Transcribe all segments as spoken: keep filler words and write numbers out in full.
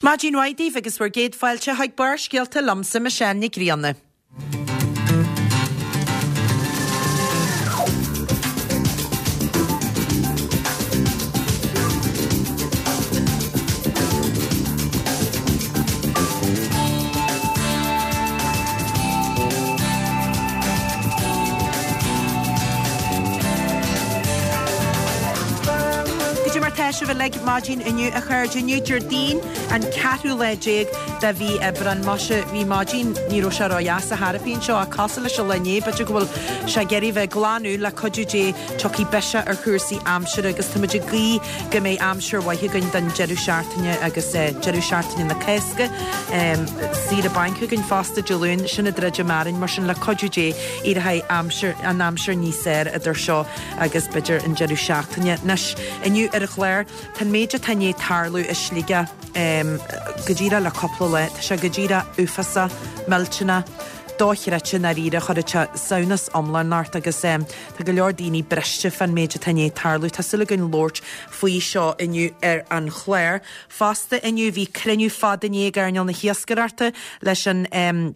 Maidin mhaith daoibh agus bhur gcéad fáilte chuig Barrscéalta liomsa Michelle Nic Grianna. Goidé mar tá sibh uilig maidin inniu a chairde inniu Déardaoin an ceathrú lá déag de mhí Aibreán Muise bhí maidin ní raibh sé ródheas ar chor ar bith anseo ach cosúil leis an lá inné b'fhéidir go bhfuil sé ag iarraidh bheith glanadh le cuidiú Dé tiocfaidh biseach ar chúrsaí aimsire agus táimid ag guí go mbeidh aimsir mhaith againn don deireadh seachtaine agus eh, deireadh seachtaine na Cásca saoire bainc againn fosta Dé Luain sin ag druidim orainn mar sin le cuidiú Dé éireoidh aimsir an aimsir níos fearr idir seo agus b'fhéidir an deireadh seachtaine. Anois inniu ar an chlár tá an méid atá i ndiaidh tarlú i Sligeach um, go díreach le cúpla lá, tá sé go díreach uafásach, millteanach, dochreidte i ndáiríre chuir sé samhnas iomlán ort agus um, tá go leor daoine briste fán méid atá i ndiaidh tarlú. Tá súil againn labhairt faoi seo inniu ar an chlár. Fosta inniu bhí cruinniú fada inné ag earnáil na hiascaireachta leis an um,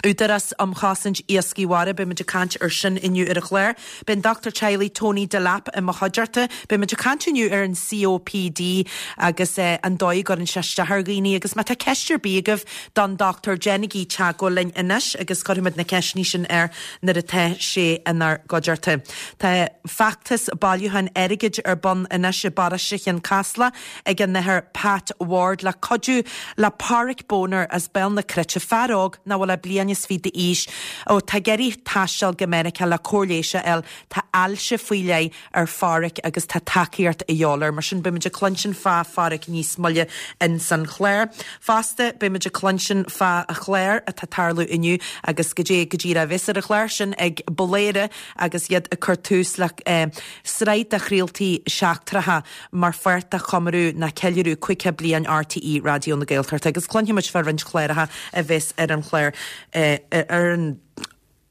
Údarás um Chosaint Iascaigh Mhara beimid ag caint ar sin inniu ar an chlár. Beidh an dochtúir teaghlaigh Tony Delap i mo chuideachta, beimid ag caint inniu ar an COPD agus eh, an dóigh a gcuireann sé isteach ar dhaoine agus má tá ceist ar bith agaibh don dochtúir déanaigí teagmháil linn anois agus cuirfimid na ceisteanna sin air nuair atá sé inár gcuideachta. Tá feachtas bailiúcháin airgid ar bun anois i bparóiste Chionn Caslach ag an Athair Pat Ward le cuidiú le Páraic Boner as Béal na Cruite fear óg nach bhfuil ach bliain is fiche d'aois ó tá ag iarraidh taisteal go Meiriceá le cóir leighis a fháil tá ailse faoi leith ar Pháraic agus tá tacaíocht a dhíobháil air mar sin beimid ag cluinstin fá Pháraic níos moille in san chlár. Fosta beimid ag cluinstin fá an chlár atá ag tarlú inniu agus go dé go dtí a bheas ar an chlár sin ag Boléire agus iad ag cur tús le eh, sraith de chraoltaí seachtracha mar pháirt de chomóradh nó ceiliúradh caoga bliain RTÉ Raidió na Gaeltachta agus cluinfimid fá roinnt chláracha a bheas ar an chlár eh, ar an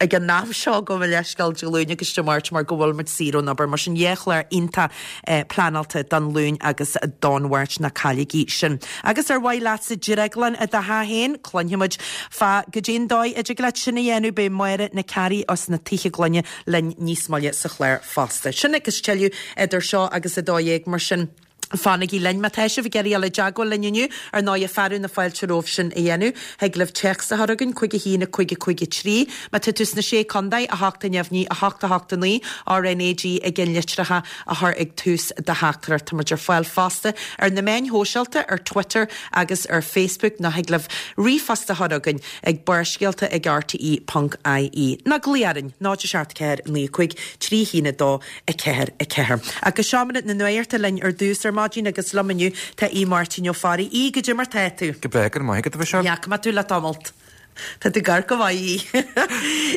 ag an am seo go bhfuil leithscéal Dé Luain agus Dé Máirt mar go bhfuil muid saor ón obair mar sin dhá chlár iontach eh, pleanáilte don Luan agus don Mháirt ná cailligí sin. Agus ar mhaith leatsa drioglann i do theach féin, cluinfimid fá goidé an dóigh a dtig leat sin a dhéanamh beidh Máire Nic Cearraigh as na Tithe Gloine linn níos moille sa chlár fosta. Sin agus tuilleadh idir seo agus a dó dhéag mar sin. Fanaigí linn má tá sibh ag iarraidh dul i dteagmháil linn inniu ar ndóigh fearadh na fáilte romhaibh sin a dhéanamh, Thig libh téacs a chur chugainn cúig a haon a cúig a cúig a trí, Má tá tú sna sé chontae a hocht a neamhní a hocht a hocht a naoi RNAG i gceannlitreacha a chur ag tús do theachtaireacht Táimid ar fáil fosta ar na meáin shóisialta ar Twitter agus ar Facebook nó thig libh ríomhphost a chur chugainn ag barrscéalta ag RTE ponc IE. Nó glaoigh orainn náid a seacht ceathair naoi cúig trí haon a dó a ceathair a ceathair. Agus seomra na nuachta linn ar dtús ar maidin agus liom inniu tá Aodh Máirtín Ó Fearraigh. Aodh goidé mar tá tú. Go breá go maith go bhí Ní fhaca mé tú le tamalt. Tá tú gar go mhaith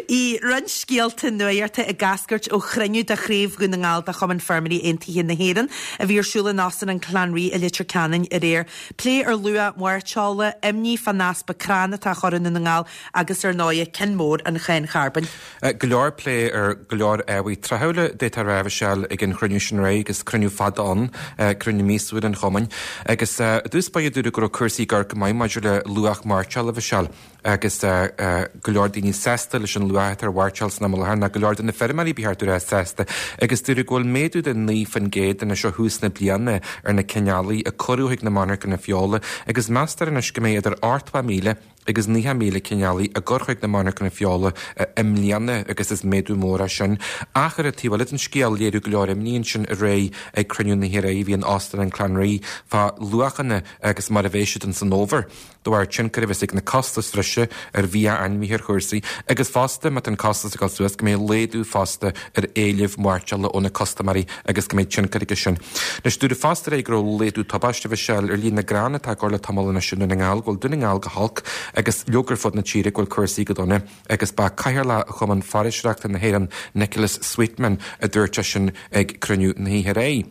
í. Roinnt scéalta nuachta ag eascairt ó chruinniú de chraobh Dhún na nGall de Chumann Feirmeoirí Aontaithe na hÉireann a bhí ar siúl in Óstán an Clanree i Leitir Ceanainn aréir. Plé ar luach mairteola, imní fán easpa crann atá chur i na nGall agus ar ndóigh ceann mór an cháin charbóin. Go leor plé ar go leor ábhair tráthúla d'fhéadfá a rá Michelle ag an chruinniú sin aréir agus cruinniú fada ann cruinniú míosúil an chumainn agus dús ba dúra go raibh cúrsaí gar go maith maidir le luach mairteola Michelle agus go leor daoine sásta leis an luach ar mhairteoil san am i láthair ná go leor de na feirmeoirí ba cheart a bheith sásta agus dúradh go bhfuil méadú de naoi faoin gcéad anois ó thús na bliana ar na cineálacha a cuireadh chuig na monarchana feola agus meastar anois go mbeidh idir ochtó míle agus naocha míle cineálaí a gcur chuig na monarchana feola i mbliana agus is méadú mór é sin. Ach ar an taobh eile den scéal léiriú go leor imní ansin aréir ag cruinniú na hÉireann bhí in Óstán an Clanree fá luachanna agus mar a bheidh siad san fhómhar. De bharr tionchar a bheas ag na costais bhreise ar bhia ainmhithe ar chúrsaí, agus fosta má tá an costas ag dul suas go mbeidh laghdú fosta ar éileamh mairteola ó na custaiméirí agus go mbeidh tionchar aige sin. Anois dúradh fosta aréir go raibh laghdú tubaiste Michelle ar líon na gcrann atá á gcur le tamall anois i nDún na nGall, go bhfuil Dún na nGall go holc agus leoga ar fud na tíre go bhfuil cúrsaí go dona agus ba cathaoirleach Chumann Foraoiseachta na hÉireann Nicholas Sweetman a dúirt sin ag cruinniú na hoíche aréir.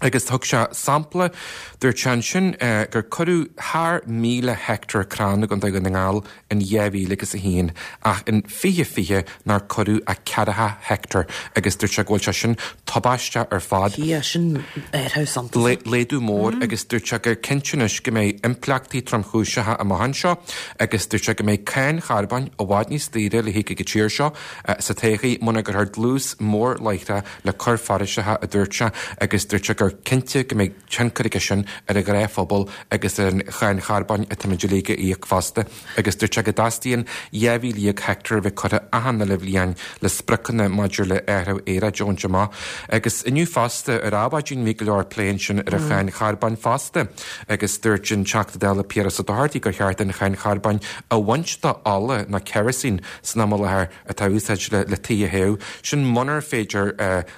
Agus thug sé sampla, dúirt sé ansin gur cuireadh thar míle heicteár crann i gContae Dhún na nGall in dhá mhíle agus a haon ach in fiche fiche nár cuireadh ach ceathracha heicteár agus dúirt sé go bhfuil sé sin tubaisteach ar fad. Sea, sin athrú suntasach. Laghdú mór agus dúirt sé gur cinnte anois go mbeidh impleachtaí tromchúiseacha amach anseo agus dúirt sé go mbeidh cáin charbóin i bhfad níos daoire le híoc ag an tír seo sa todhchaí muna gcuirfear dlús mór láithreach le cur foraoiseacha, a dúirt sé, agus dúirt sé gur cinnte go mbeidh tionchar aige sin ar an ghnáthphobal agus ar an cháin charbóin atáimid uilig a íoc fosta agus dúirt sé go dteastaíonn dhá mhíle dhéag heicteár a bheith curtha achan uile bhliain le spriocanna maidir le athrú aeráide a bhaint amach. Agus inniu fosta ar Adhmhaidin bhí go leor plé ansin ar an cháin charbóin fosta agus dúirt an Teachta Dála Piaras Ó Dochartaigh gur cheart an cháin charbóin a bhaint de ola nó kerosene san am i láthair atá á úsáid le tithe a théamh. Sin munar féidir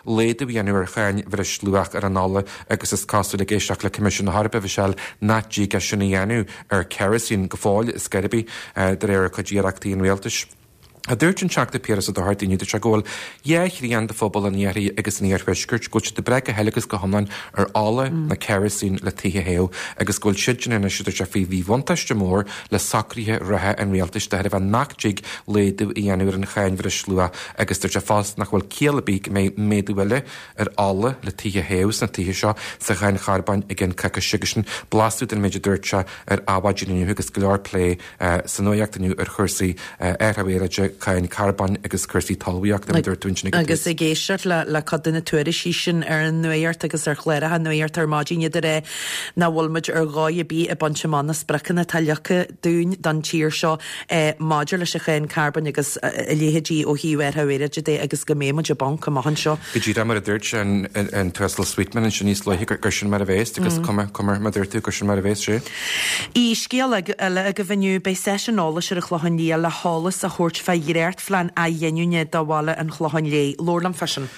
laghdú a dhéanamh ar cháin bhreisluach ar an ola agus is cosúil ag éisteacht le Coimisiún na hEorpa, Michelle, nach dtig é sin a dhéanamh ar kerosene go fóill is scor ar bith de réir cuid d'iarrachtaí an rialtais. A dúirt an Teachta Piaras Ó Dochartaigh inniu, dúirt sé go bhfuil dhá thrian de phobal an iarthair agus an iarthuaiscirt, go bhfuil siad ag brath go huile agus go hiomlán ar ola nó kerosene le tithe a théamh agus go bhfuil siadsan anois, a dúirt sé, faoi mhíbhuntáiste mór le socruithe reatha an rialtais de thairbhe nach dtig laghdú a dhéanamh ar an cháin bhreisluacha agus dúirt sé fosta nach bhfuil ciall ar bith go mbeidh méadú eile ar ola le tithe a théamh sna tithe seo sa cháin charbóin i gceann coicíse agus sin blaiseadh den méid a dúirt sé ar Adhmhaidin inniu agus go leor plé sa nuacht inniu ar chúrsaí athrú aeráide, cáin carbóin agus cúrsaí talmhaíochta, mar a dúirt tú ansin ag an tús. Agus ag éisteacht le le cuid de na tuairiscí sin ar an nuacht agus ar chláracha nuachta ar maidin, iad ag rá nach bhfuil muid ar dhóigh ar bith ag baint amach na spriocanna atá leagtha dúinn don tír seo maidir leis an cháin carbóin agus a leithéidí ó thaobh athrú aeráide de agus go mbeidh muid i bponc amach anseo. Go díreach mar a dúirt an an tUasal Sweetman ansin níos luaithe gur gur sin mar a bheas agus cuma cuma mar a dúirt tú gur sin mar a bheas sé. I scéal eile agaibh inniu, beidh seisiún eolais ar an Chlochán Liath le heolas a thabhairt fá dhréachtphlean athghiniúna do bhaile an Chlocháin Léith. Labhair liom fá sin.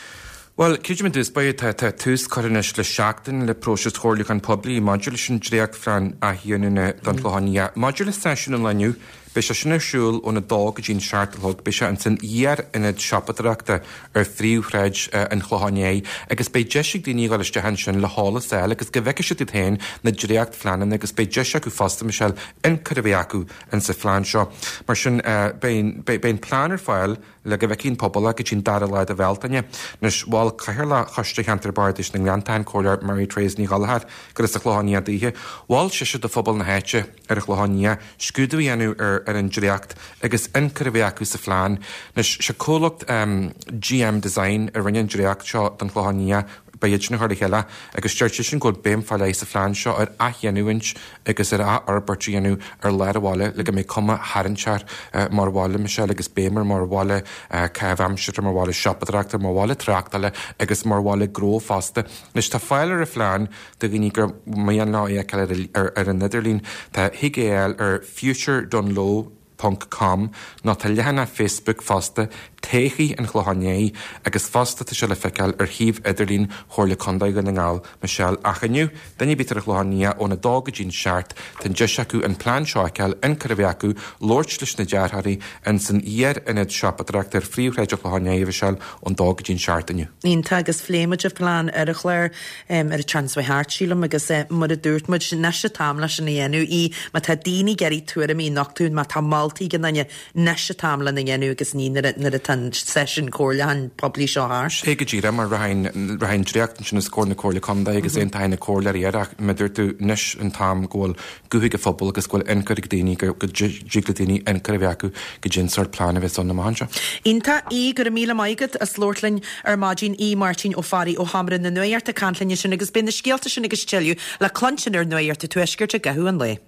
Bhuel, creidim i dtús báire, tá tá tús curtha anois le seachtain le próiseas chomhairliúcháin poiblí maidir leis an dréachtphlean athghiniúna don Chlochán Liath. Maidir le seisiún an lae inniu, beidh sé sin ar siúl óna dó go dtí'n seacht a chlog. Beidh sé ins an iar-ionad siopadóireachta ar phríomhshráid an Chlocháin Léith agus beidh deis ag daoine a dhul isteach ansin le heolas a fháil agus go bhfeicfidh siad iad féin na dréachtphleananna agus beidh deis acu fosta, Michelle, ionchur a bheith acu insa phlean seo. Mar sin, beidh beidh an plean ar fáil le go bhfeicfidh an pobal é go dtí an dara lá de Bhealtaine. Anois, mhol Cathaoirleach Choiste Cheantar Bardais na nGleanntach, an Comhairleoir Mary Therese Ní Ghallchóir, gur as an Chlochán Liath daoithe, mhol sise do phobal na háite ar an Chlochán Liath scrúdú a dhéanamh ar ar an dréacht agus ionchur a bheith acu sa phlean. Anois, sé comhlacht GM Design a rinne an dréacht seo don Chlochán Liath, Ba iad sin a chuir le chéile agus deir seisean go bhfuil béim fá leith sa phlean seo ar athghiniúint agus ar athfhorbairt a dhéanamh ar lár an bhaile le go mbeidh cuma tharraingteach mar bhaile, Michelle, agus béim air mar bhaile caitheamh aimsire, mar bhaile siopadóireachta, mar bhaile tráchtála agus mar bhaile gnó fosta. Anois tá fáil ar an phlean do dhaoine gur mian leo é a fheiceáil ar an idirlíon. Tá, thig é a fháil ar Future Dungloe. ponc com nó tá leathanach Facebook fosta, Todhchaí an Chlocháin Léith, agus fosta tá sé le feiceáil ar shuíomh idirlín Chomhairle Contae Dhún na nGall, Michelle. Ach inniu, duine ar bith ar an Chlochán Liath óna dó go dtí'n seacht, tá an deis acu an plean seo a fheiceáil, ionchur a bheith acu, labhairt leis na dearthóirí ins an iar-ionad siopadóireachta ar phríomhshráid an Chlocháin Léith, Michelle, ón dó go dtí'n seacht inniu. Iontach, agus phléigh muid an plean ar an chlár ar an tseachtain seo thart, sílim, agus mar a dúirt muid, anois an t-am leis sin a dhéanamh, í, má tá daoine ag iarraidh tuairimí a nochtadh, má tá moltaí ag aon duine, anois an t-am lena dhéanamh agus ní nuair a, nuair atá an seisiún comhairliúcháin poiblí seo thart. Sé go díreach mar rachaidh an, rachaidh an dréacht ansin os comhair na Comhairle Contae agus aontóidh na comhairleoirí air ach mar a dúirt tú, anois an t-am go bhfuil guth ag an phobal agus go bhfuil ionchur ag daoine, go, go dtig le daoine ionchur a bheith acu goidé an sórt plean a bheas ann amach anseo. Iontach, Aodh, go raibh míle maith agat as labhairt linn ar maidin, Aodh Máirtín Ó Fearraigh ó Sheomra na Nuachta ag caint linn ansin agus beidh na scéalta sin agus tuilleadh le cluinstin ar Nuacht an Tuaiscirt i gcaitheamh an lae.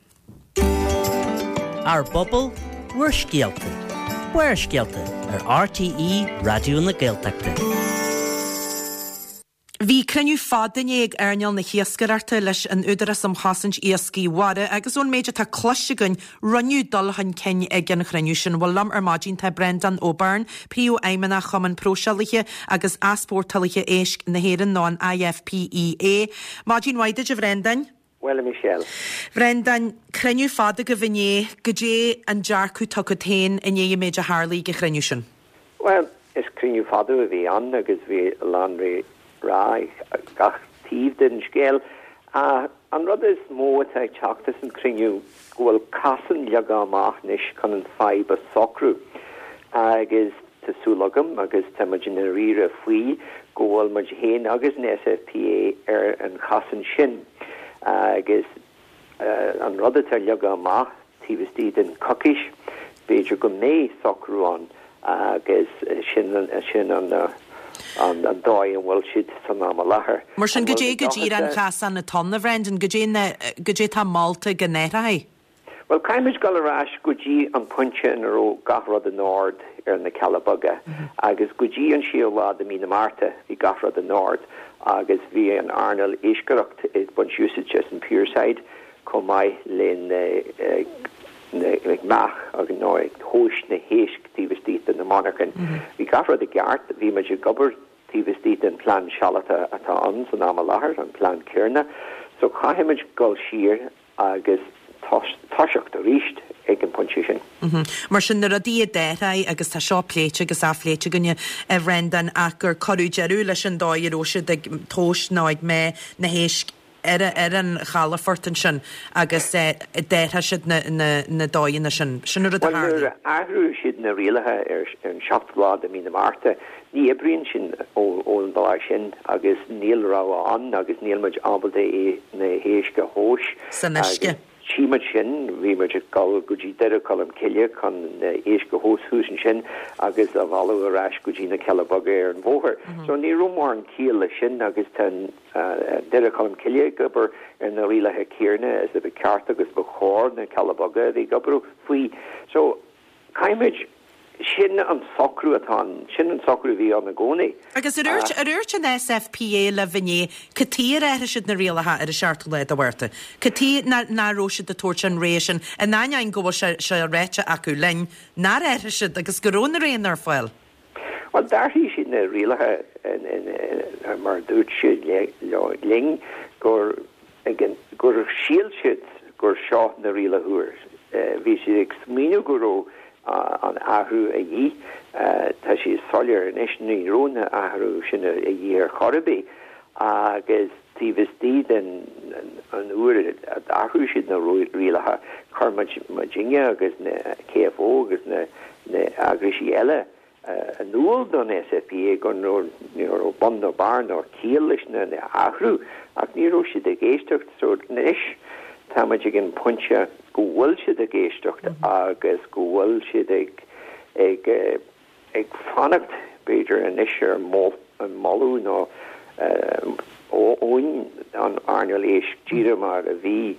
Ár bpobal, bhur scéalta. Barrscéalta ar RTÉ Raidió na Gaeltachta. Bhí cruinniú fada inné ag earnáil na hiascaireachta leis an Údarás um Chosaint Iascaigh Mhara agus ón méid atá cloiste againn, rinneadh dul chun cinn ag an chruinniú sin. Bhuel, liom ar maidin tá Breandán Ó Beirn, Príomhfheidhmeannach Chumann Próiseálaithe agus Easpórtálaithe Éisc na hÉireann nó an IFPEA. Maidin mhaith duit, a Bhreandáin. Bhuel, a Michelle. Bhreandáin, cruinniú fada agaibh inné, goidé an dearcadh atá agat féin i ndiaidh an méid a tharlaigh ag an chruinniú sin? Bhuel, is cruinniú fada a bhí ann agus bhí a lán le rá ag gach taobh den scéal. An rud is mó atá ag teacht as an cruinniú go bhfuil casán leagtha amach anois chun an fadhb a socrú agus tá súil agam agus tá muid i ndáiríre faoi go bhfuil muid féin agus an SFPA ar an chasán sin agus an rud atá leagtha amach taobh istigh den coicís, b'fhéidir go mbeidh socrú ann agus sin sin an an an dóigh a bhfuil siad san am i láthair. Mar sin goidé go díreach an chasán atá ann, a Bhrendan, goidé na goidé tá molta go n-athrófaí? Bhuel, caithfimid dul ar ais go dtí an pointe ina raibh gach rud in ord ar na Cealla Beaga agus go dtí an séú lá de mí na Márta bhí gach rud in ord agus bhí an earnáil iascaireacht ag baint úsáid as an pierside chomh maith le ag meá agus nó ag tomhas na héisc taobh istigh de na monarchain. Bhí gach rud i gceart, bhí muid ag obair taobh istigh den plean sealadach atá ann san am i láthair, an plean céanna. So caithfimid dul siar agus toiseacht arís ag an bpointe sin. Mar sin na rudaí a d'athraigh agus tá seo pléite agus athphléite againne, a Bhrendan, ach gur cuireadh deireadh leis an dóigh a raibh siad ag tomhas nó ag meá na héisc ar ar an chalafort ansin agus d'athraigh siad na na na dóigheanna sin. Sin an rud a Bhuel, nuair tharla. a athraigh siad na rialacha ar ar an seachtú lá de mí na Márta, ní oibríonn sin ón lá sin agus níl rogha ann agus níl muid ábalta é na héisc a thomhas. San uisce. Tchí muid sin, bhí muid ag dul go dtí Doire Cholm Cille chun na héisc a thomhas thuas ansin agus a mhealladh ar ais go dtí na Cealla Beaga ar an bhóthar. So ní raibh mórán ciall leis sin agus tá Doire Cholm Cille ag obair ar na rialacha céanna is a ba cheart agus ba chóir na Cealla Beaga a bhí ag obair faoi. So caithfimid sin an socrú atá ann, sin an socrú a bhí ann i gcónaí. Agus ar dhúirt ar dhúirt an SFPA libh inné cad chuige ar athraigh siad na rialacha ar an seachtú lá de Mhárta. Cad chuige nach raibh siad ag tabhairt an rogha sin in ainneoin go bhfuil sé sé ráite acu linn nár athraigh siad agus go raibh na roghanna ar fáil. Well d'athraigh siad na rialacha mar dúirt siad linn gur gur shíl siad gur seo na rialacha úr. Bhí siad ag smaoineamh go raibh an athrú a dhíth tá sé soiléir anois ní raibh na athrú sin a dhíth ar chor ar bith agus taobh istigh den an uair a d'athraigh siad na rialacha chuir muid muidinne agus na KFO agus na na eagraisí eile in iúl don SFPA go ní raibh bun nó barr nó ciall leis na athrú ach ní raibh siad ag éisteacht so anois tá muid ag an pointe go bhfuil siad ag éisteacht agus go bhfuil siad ag ag ag fanacht b'fhéidir anois ar an moladh nó ón an earnáil éisc díreach mar a bhí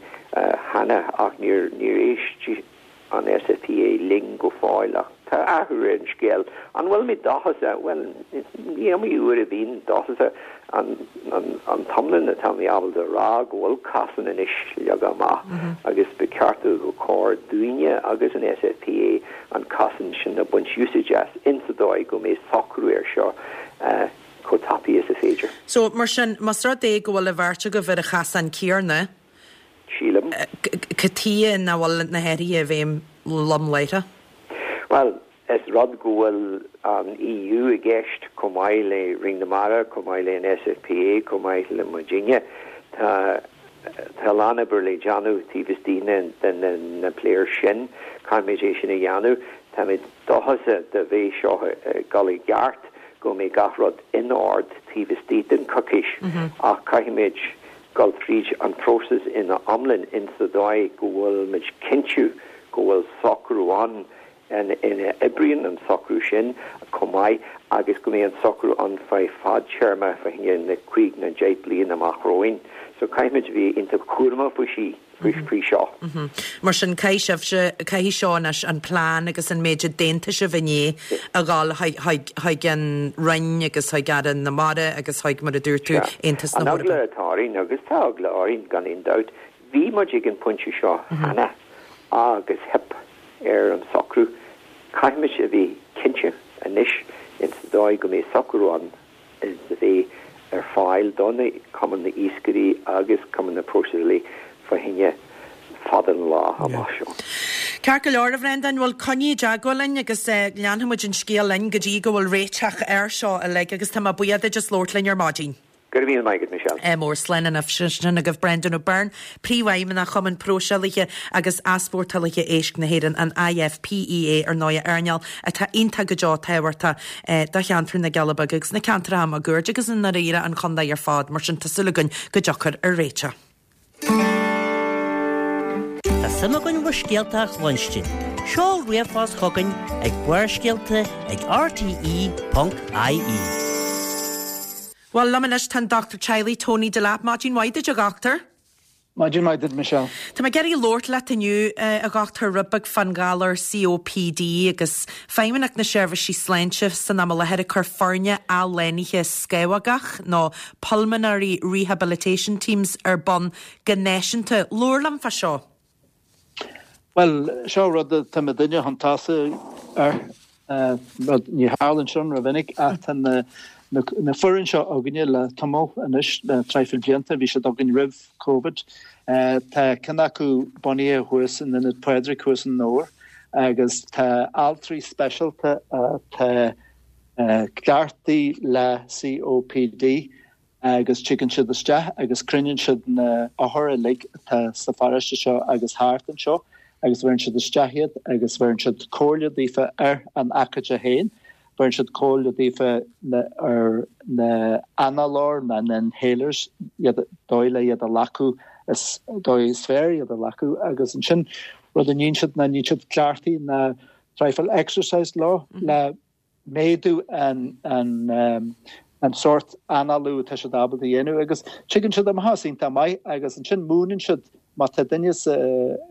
cheana ach níor níor éist an SFPA linn go fóill ach tá athrú ar an scéal. An bhfuil mé dóchasach well ní iomaí uair a bhíonn dóchasach an an an t-iomlán atá mé ábalta rá go bhfuil casán anois leagtha amach agus ba cheart go cóir dúinne agus an SFPA an casán sin a bhaint úsáid as insa dóigh go mbeidh socrú ar seo chomh tapaidh is is féidir. So mar sin más rud é go bhfuil an bheirt agaibh ar an chasán céanna Sílim. Cad chuige nach bhfuil na hathruithe i bhfeidhm lom láithreach? Well, is rud go bhfuil an EU i gceist chomh maith le Roinn na Mara, chomh maith le an SFPA, chomh maith le muidinne. Tá tá lán obair le déanamh taobh istigh den na, na players sin, Caithfimid é sin a dhéanamh, Táimid dóchasach dá mbeidh seo dul i gceart go mbeidh gach rud in ord taobh istigh den coicís ach caithfimid dul tríd an próiseas ina iomlán insa dóigh go bhfuil muid cinntiú go bhfuil socrú ann ina oibríonn an socrú sin chomh maith agus go mbeidh an socrú ann feadh fadtéarma fá choinne na cúig nó deich bliain amach romhainn. So caithfimid bheith iontach cúramach faoi sí faoi seo. Mar sin caithfidh sibhse caithfidh seo anois an plean agus an méid a d'aontaigh sibh inné a ghabháil chuig an Roinn agus chuig Aire na Mara agus chuig mar a dúirt tú Aontas na An hEorpa. eagla atá orainn agus tá eagla orainn gan aon dabht, bhí muid ag an pointe seo cheana agus theip ar an socrú. Caithfimid a bheith cinnte anois insa dóigh go mbeidh socrú ann is a bheith ar fáil do na cumann na iascairí agus cumann na próiseálaí fá choinne fada an lá amach seo. Ceart go leor a Bhrendan bhfuil coinnigh i dteagmháil linn agus leanfaimid an scéal linn go dtí go bhfuil réiteach air seo uilig agus tá mé buíoch duit as labhairt linn ar maidin. Go raibh míle maith agat, Michelle. Ádh mór, slán anois. Sin agaibh Brendan O'Byrne, Príomhfheidhmeannach Chumann Próiseálaithe agus Easpórtálaithe Éisc na hÉireann, an I F P E A, ar ndóigh, earnáil atá iontach go deo tábhachtach do cheantar na gCealla Beaga agus na ceantracha máguaird agus i ndáiríre an chontae ar fad, mar sin tá súil againn go dtiocfar ar réiteach. Tá suim againn bhur scéalta a chluinstin. Seol ríomhphost chugainn ag Barrscéalta ag R T E ponc I E. Well, liom anois tá an Doctor Teaghlaigh Tony Delap. Maidin mhaith duit, a dhochtúir. Maidin mhaith duit, Michelle. Tá mé ag iarraidh labhairt leat inniu, a dhochtúir, rud beag fán ghalar C O P D agus Feidhmeannacht na Seirbhísí Sláinte san am i láthair ag cur foirne athshlánaithe scamhógach nó Pulmonary Rehabilitation Teams ar bun go náisiúnta. Labhair liom fá seo. Well, seo rud tá muidne chun tosaigh ar rud ní tharlaíonn sin rómhinic ach tá na na foireann seo againne le tamall anois, le traidhfil blianta. Bhí siad againn roimh COVID. Tá ceann acu bunaithe thuas in Ionad Phádraig thuas in Dobhar agus tá altraí speisialta atá cleachtaithe le C O P D agus tigeann siad isteach agus cruinníonn siad na hothair uilig atá sa pharóiste seo agus thart anseo agus bheireann siad isteach iad agus bheireann siad comhairle daofa ar an acaide féin, bheireann siad comhairle daofa ar na análóir na inhalers, iad dóigh le iad a ghlacadh is dóigh is fearr iad a ghlacadh agus ansin rud a ndéanann siad ná déanann siad cleachtaí na traidhfil exercise leo le méadú an an um, an sort análú tá siad ábalta dhéanamh agus tuigeann siad amach iontach maith agus ansin múineann siad má tá duine sa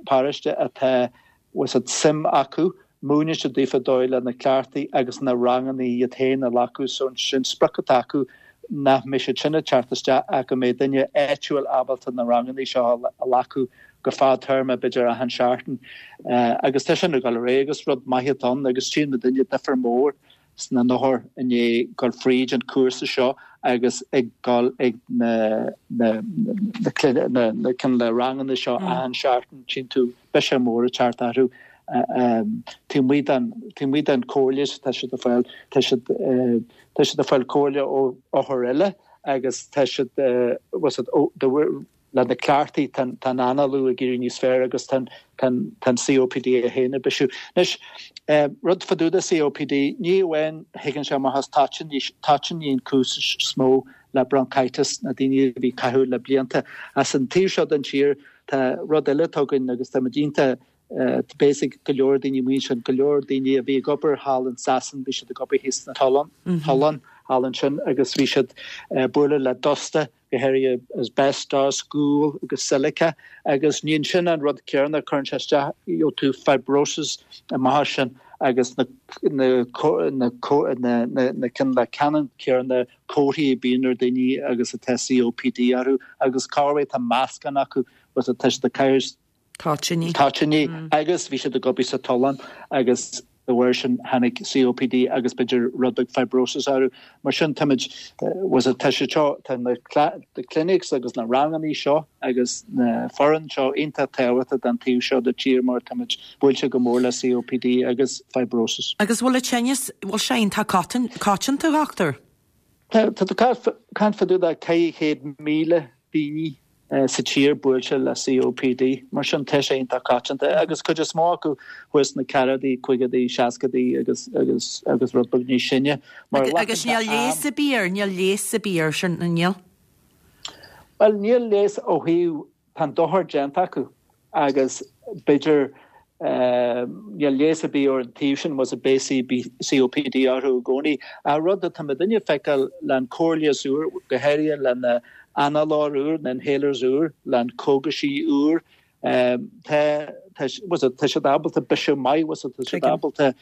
paróiste atá was it suim acu, múineann siad daofa dóigh le na cleachtaí agus na ranganna iad féin a ghlacadh. So sin sprioc atá acu, nach mbeidh siad sin ag teacht isteach ach go mbeidh duine áitiúil ábalta na ranganna seo a ghlacadh go fadtéarma, b'fhéidir achan seachtain uh, agus tá sin ag dul ar agus rud maith ann agus tchíonn muidne difear mór sna hothair inné gur fríd an cúrsa seo agus ag dul ag na na na na na cinn le ranganna seo achan seachtain, tchíonn tú biseach mór ag teacht orthu taobh amuigh den chomhairle tá siad ag fáil. tá siad tá siad ag fáil comhairle ó othair eile agus tá siad was it le na cleachtaí tá análú ag éirí níos fearr agus tá an C O P D a héana bisiú. Anois rud fá dtaobh de C O P D, ní amháin thuigeann sé amach as toitíní an cúis is mó le bronchitis na daoine a bhí caitheamh le blianta. As an taobh seo den tír tá rud eile againn agus tá dínta basic go leor daoine muin sin go leor daoine a bhí ag obair thall in Sasain, bhí siad ag obair thíos na tolláin tolláin thall ansin agus bhí siad bualadh le dusta, go háirithe asbestos, gual agus silica agus ní sin an rud céanna chuireann sé isteach tú fibrosis amach sin agus na na na na na cinn le ceann céanna comharthaí bíonn ar daoine agus atá C O P D orthu agus cá tá meascán acu was a te de cairs Toitíní. Toitíní agus bhí siad ag obair sa tollán agus de bharr sin tháinig C O P D agus b'fhéidir rud beag fibrosis orthu. Mar sin táimid was it tá sé seo tá na the clinics agus na ranganna seo agus na foireann seo iontach tábhachtach don taobh seo de tír mar táimid buailte go mór le C O P D agus fibrosis. Agus bhfuil tinneas bhfuil sé iontach coitianta, a dhochtúir? Tá caint fá dtaobh de ceithre chéad míle daoine sa tír buailte le C O P D, mar sin tá sé iontach coitianta agus cuid is mó acu thuas na ceathrachaidí, caogaidí, seascaidí agus agus agus rud beag níos sine. Agus níl leigheas ar bith air, níl leigheas ar bith air sin, níl? Well, níl leigheas ó thaobh tá dochar déanta acu agus b'fhéidir níl leigheas ar bith ar an taobh sin was a beidh C O P D orthu i gcónaí. A rud atá muidne ag feiceáil le an comhairle úr, go háirithe le na análóir úr, na inhalers úr, le an cógaisí úr, tá tá siad ábalta biseach maith was tá siad ábalta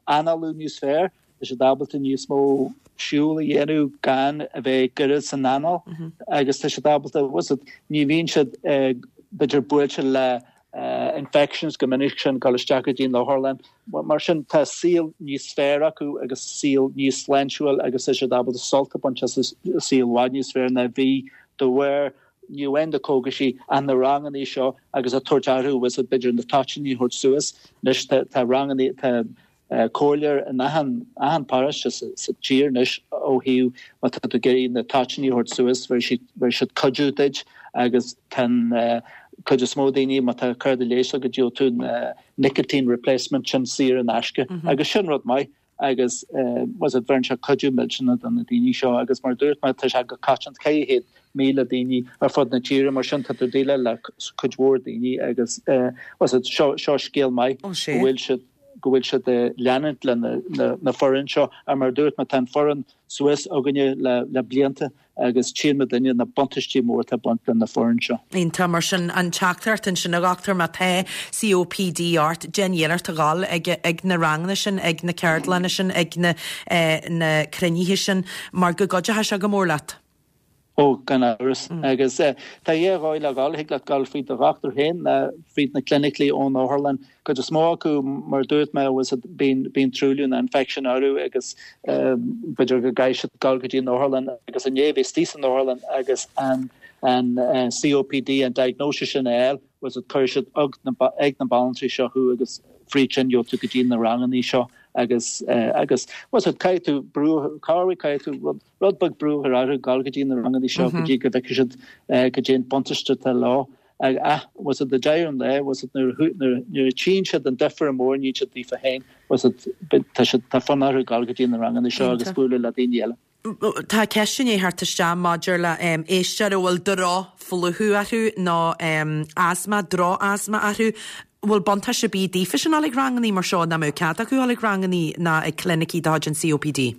análú níos fearr, tá siad ábalta níos mó siúl a dhéanamh gan a bheith goirid san anáil agus tá siad ábalta was ní bhíonn siad b'fhéidir buailte le uh, infections go minic sin dul isteach go dtí an otharlann. Mar sin tá saol níos fearr acu agus saol níos sláintiúil agus tá siad ábalta sult a bhaint as saol i bhfad níos fearr ná bhí de bharr ní amháin na cógaisí an na ranganna seo agus a tabhairt orthu was b'fhéidir na toitíní thabhairt suas anois tá ranganna tá comhairleoir in achan achan paróiste sa sa tír anois ó thaobh má tá tú ag iarraidh na toitíní a thabhairt suas bheir siad bheir siad cuidiú duit agus tá an cuid is mó daoine má tá cárta leighis agat gheobhaidh tú na nicotine replacement sin saor in aisce agus sin rud maith agus was it bheireann sé cuidiú millteanach do na daoine seo agus mar a dúirt mé tá sé go coitianta ceithre chéad míle daoine ar fud na tíre mar sin tá tú ag déileáil le cuid mhór daoine agus was it seo seo scéal maith go bhfuil siad go bhfuil siad ag leanúint le na na na foireann seo ar mar a dúirt mé tá an foireann suas againne le le blianta agus tchíonn muidinne na buntáistí mór atá ag baint le na foireann seo. Iontach, mar sin an teachtaireacht ansin a dhochtúir má tá COPD ort, déan iarracht a dhul ag ag na ranganna sin, ag na ceardlanna sin, ag na na cruinnithe sin mar go gcuideoidh sé go mór leat. Ó, gan amhras. Agus tá dhá dhóigh le dhul, thig leat dul fríd do dhochtúir féin nó fríd na clinicí ón otharlann. Cuid is mó acu, mar a dúirt mé, bíonn bíonn truailliú nó infection orthu agus b'fhéidir go gcaithfidh siad dul go dtí an otharlann agus inné bhíos istigh san otharlann agus an an COPD, an diagnosis sin a fháil, was it cuirfidh siad ag na ag na banaltraí seo thú agus fríd sin gheobhaidh tú go dtí na ranganna seo agus agus was it caithfidh tú brú cabhair caithfidh tú rud rud beag brú a chur orthu dul go dtí na ranganna seo go dtí go bhfeicfidh siad goidé an buntáiste atá leo. Ach was it ag deireadh an lae was it nuair nuair a tchíonn siad an difear mór a níonn siad daofa féin was it tá siad tá fonn orthu dul go dtí na ranganna seo agus bualadh le daoine eile. Tá ceist i ndiaidh theacht isteach maidir le éisteoir a bhfuil drochphlúchadh orthu nó asma, droch-asma orthu. Bhfuil buntáiste ar bith daofa sin dul ag rangannaí mar seo, nach mbeadh cead acu dul ag rangannaí ná ag clinicí de chuid an COPD?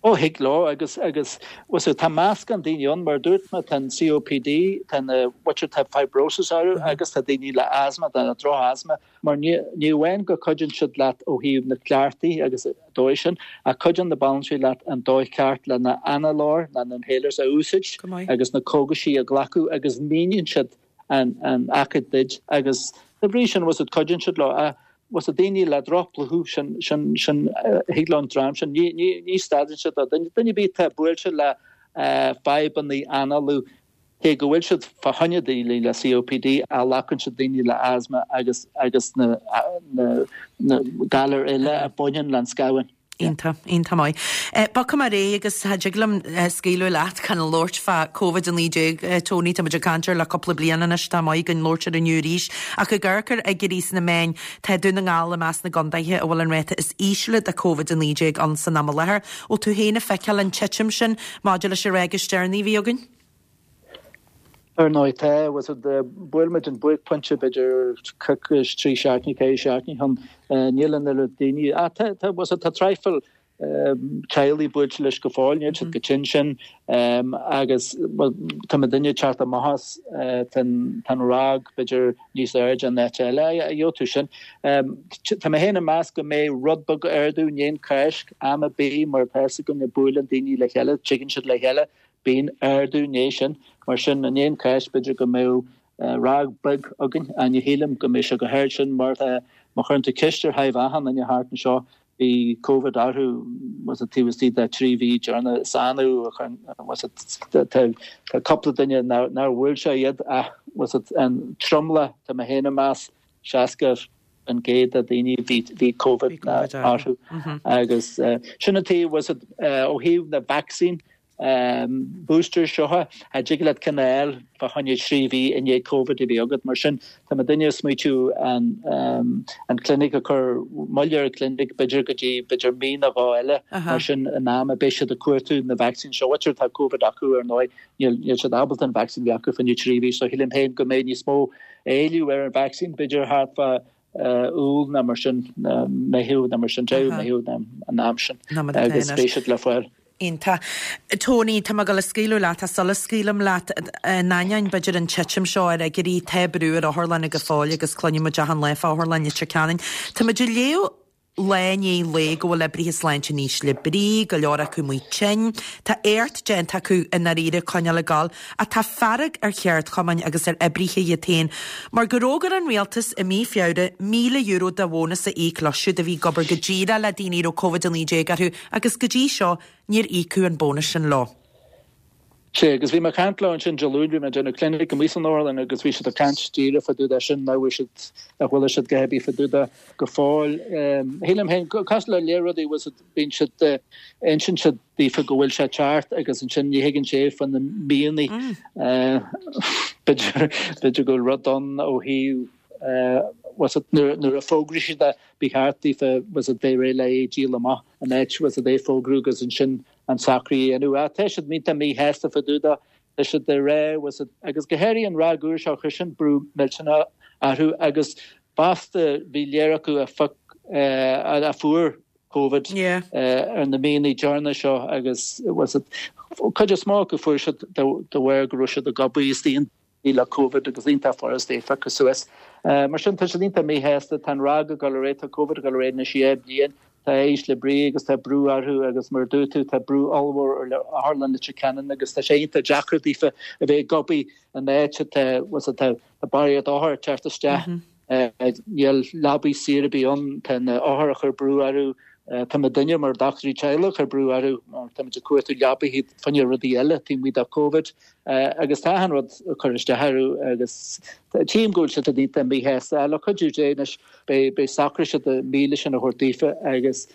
Ó thig leo agus agus was it tá meascán daoine ann mar a dúirt mé tá an COPD, tá na muintir tá fibrosis orthu agus tá daoine le asma, tá droch-asma mar ní ní amháin go cuidíonn siad leat ó thaobh na cleachtaí agus an dóigh sin ach cuidíonn na banaltraí leat an dóigh ceart le na análóir na na inhalers a úsáid agus na cógaisí a ghlacadh agus míníonn siad an an aicéad duit agus de bhrí sin was it cuidíonn siad leo ach was it daoine le drochphlúchadh sin sin sin thig leo an dream sin ní ní ní stadann siad duine duine ar bith atá buailte le fadhbanna análú cé go bhfuil siad fá choinne daoine le COPD ach glacann siad daoine le asma agus agus na na na galair eile a bhaineann le an scamhán. Iontach, iontach maith. Bogfaidh mé ar aghaidh agus cha dtig liom scaoileadh leat gan labhairt fá Covid a naoi déag, Tony, tá muid ag caint air le cúpla bliain anois, tá maith againn labhairt air inniu arís. Ach ag amharc ar fhigiúirí sna meáin, tá Dún na nGall i measc na gcontaetha a bhfuil an ráta is ísle de Covid a naoi déag ann san am i láthair. Bhfuil tú féin ag feiceáil an titim sin maidir leis an ráig is deireanaí a bhí againn? Ar ndóigh tá, was it, bhuail muid an buaicphointe b'fhéidir coicís, trí seachtainí, ceithre seachtainí ó shin, níl an oiread daoine, ah tá, tá, was it, tá traidhfil teaghlaigh buailte leis go fóill, níl siad chomh tinn sin agus well tá muidinne ag teacht amach as, tá an, tá an ráig b'fhéidir níos airde in áit eile, gheobhaidh tú sin. Tá mé féin ag meas go mbeidh rud beag ardú i ndiaidh an Cháisc, am ar bith mar tá fhios againn buaileann daoine le chéile, tigeann siad le chéile, Bíonn ardú i ndiaidh sin. Mar sin, i ndiaidh an Cháisc, b'fhéidir go mbeadh ráig beag againn. Ach ní shílim go mbeidh sé chomh hard sin mar tá, má chuireann tú ceist ar thaobh achan duine thart anseo, bhí Covid orthu was it taobh istigh de trí mhí deireanach. Is annamh a chuireann, was it, tá cúpla duine nár bhuail sé iad ach was it an tromlach, tá mé féin ag meas, seasca faoin gcéad de daoine bhí bhí Covid orthu. Agus sin an taobh, was it, ó thaobh na vacsaín, booster seo, cha dtig leat ceann a fháil fá choinne trí mhí i ndiaidh Covid a bheith agat. Mar sin, tá muidinne ag smaoitiú an an clinic a chur moill ar an clinic b'fhéidir go dtí b'fhéidir mí nó dhó eile. Mar sin, in am a beidh siad ag cuartú na vacsaín seo, muintir atá Covid acu ar ndóigh, níl níl siad ábalta an vacsaín a bheith acu fá choinne trí mhí. So shílim féin go mbeidh níos mó éileamh ar an vacsaín b'fhéidir thart fá Iúil nó mar sin, Meitheamh nó mar sin, deireadh Meitheamh nó an am sin agus beidh siad le fáil. Iontach. Tony, tá mé ag dul a scaoileadh leat, ach sula scaoilim leat, in ainneoin b'fhéidir an titim seo ar fhigiúirí, tá brú ar otharlanna go fóill agus cluineann muid achan lá fá otharlann Leitir Ceanainn. Tá muid ag léamh lá i ndiaidh lae go bhfuil oibrithe sláinte in ísle brí, go leor acu amuigh tinn. Tá éacht déanta acu i ndáiríre coinneáil ag gabháil, ach tá fearg ar cheardchumainn agus ar oibrithe iad féin mar gur fhógair an rialtas i mí Feabhra míle euro de bhónas a íoc leo siúd a bhí ag obair go díreach le daoine a raibh Covid a naoi déag orthu agus go dtí seo níor íocadh an bónas sin leo. Sé, agus bhí mé ag caint leo ansin Dé Luain, bhí mé ag déanamh clinic amuigh san otharlann agus bhí siad ag caint díreach fá dtaobh de sin, nach bhfuil siad, nach bhfuil siad go heavy fá dtaobh de go fóill. Shílim féin, cosúil le lear rudaí, bhfuil siad, bíonn siad, insíonn siad daofa go bhfuil sé ceart agus ansin ní thuigeann sé fá na mianaigh. B'fhéidir, b'fhéidir go bhfuil rud ann ó thaobh, bhfuil siad, nuair, nuair a fógraíonn siad é, ba cheart daofa, bhfuil siad, bheith réidh le é a dhíol amach in áit, bhfuil siad, é a fógrú agus ansin an socrú a dhéanamh. Ach tá siad iontach míshásta fá dtaobh de, tá siad ag rá, bhfuil siad, agus go háirithe an ráig úr seo, chuir sin brú millteanach orthu agus fosta bhí lear acu a phioc, a fuair Covid ar na míonna deireanacha seo agus bhfuil siad, cuid is mó acu fuair siad de bharr go raibh siad ag obair istigh le Covid agus iontach furast é a phiocadh suas. Mar sin tá siad iontach míshásta, tá an ráig ag dul ar aghaidh, tá Covid ag dul ar aghaidh anois dhá bhliain, tá ísle brí agus tá brú orthu agus mar a dúirt tú tá brú ollmhór ar Otharlann Leitir Ceanainn agus tá sé iontach deacair daofa a bheith ag obair in áit atá, bhfuil a fhios agat, tá barraíocht othar ag teacht isteach, níl leabaí saor ar bith ann, tá na hothair ag cur brú orthu, Tá muidinne mar dochtúirí teaghlaigh ag cur brú orthu mar táimid ag cuartú leabaithe fá choinne rudaí eile taobh amuigh de Covid agus tá achan rud ag cur isteach orthu agus tchím go bhfuil siad iontach míshásta. Le cuidiú Dé anois beidh beidh socróidh siad an míle sin a thabhairt daofa agus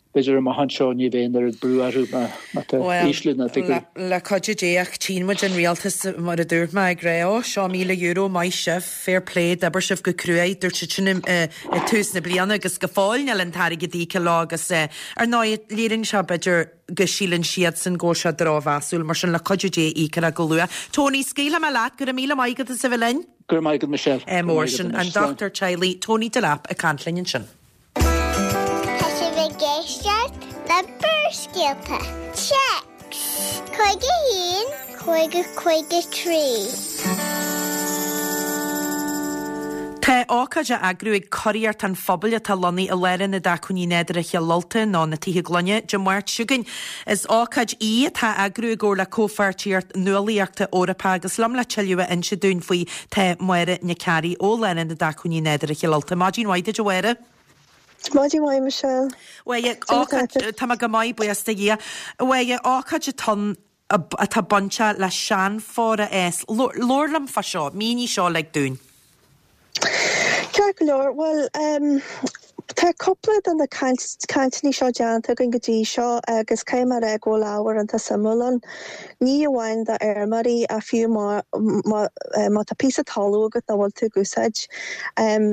b'fhéidir amach anseo ní bheidh an oiread brú orthu má má tá ísliú na bhfigiúirí. Le cuidiú Dé ach tchíonn muid an rialtas mar a dúirt mé ag rá ó seo míle euro maith sibh. Fair play, d'oibir sibh go cruaidh, dúirt siad sin i tús na bliana agus go fóill níl an t-airgead íoctha leo agus ar ndóigh léiríonn sé b'fhéidir go síleann siadsan go bhfuil sé drochmheasúil, mar sin le cuidiú Dé íocfar é go luath. Tony, scaoilfidh mé leat, go raibh míle maith agat as a bheith linn. Go raibh maith agat Michelle. Mór sin an dochtúir teaghlaigh Tony Delap ag caint linn ansin. Tá sibh ag éisteacht le Barrscéalta. Téacs cúig a haon, cúig a cúig a trí. Tá ócáid á eagrú ag Curaíocht an Phobail atá lonnaithe i Lárionad Acmhainní Nádúrtha Chill Ulta, nó na Tithe Gloine, Dé Máirt seo chugainn. Is ócáid í atá á eagrú i gcomhar le Comhpháirtíocht Nuálaíochta Eorpach agus liom le tuilleadh a inse dúinn faoi tá Máire Nic Fhearraigh ó Lárionad Acmhainní Nádúrtha Chill Ulta. Maidin mhaith duit a Mháire. Maidin mhaith Michelle. Mháire, ócáid, tá mé go maith buíochas do Dhia. A Mháire, ócáid atá ann atá bainteach le seanphór a fhás. Labhair liom fá seo, mínigh seo uilig dúinn. Ceart go leor, bhuel, tá cúpla de na cainteanna seo déanta againn go dtí seo agus caithfidh mé a rá go bhfuil ábhar iontach suimiúil ann. Ní amháin do fheirmeoirí ach fiú má má tá píosa talún agat nach bhfuil tú ag úsáid.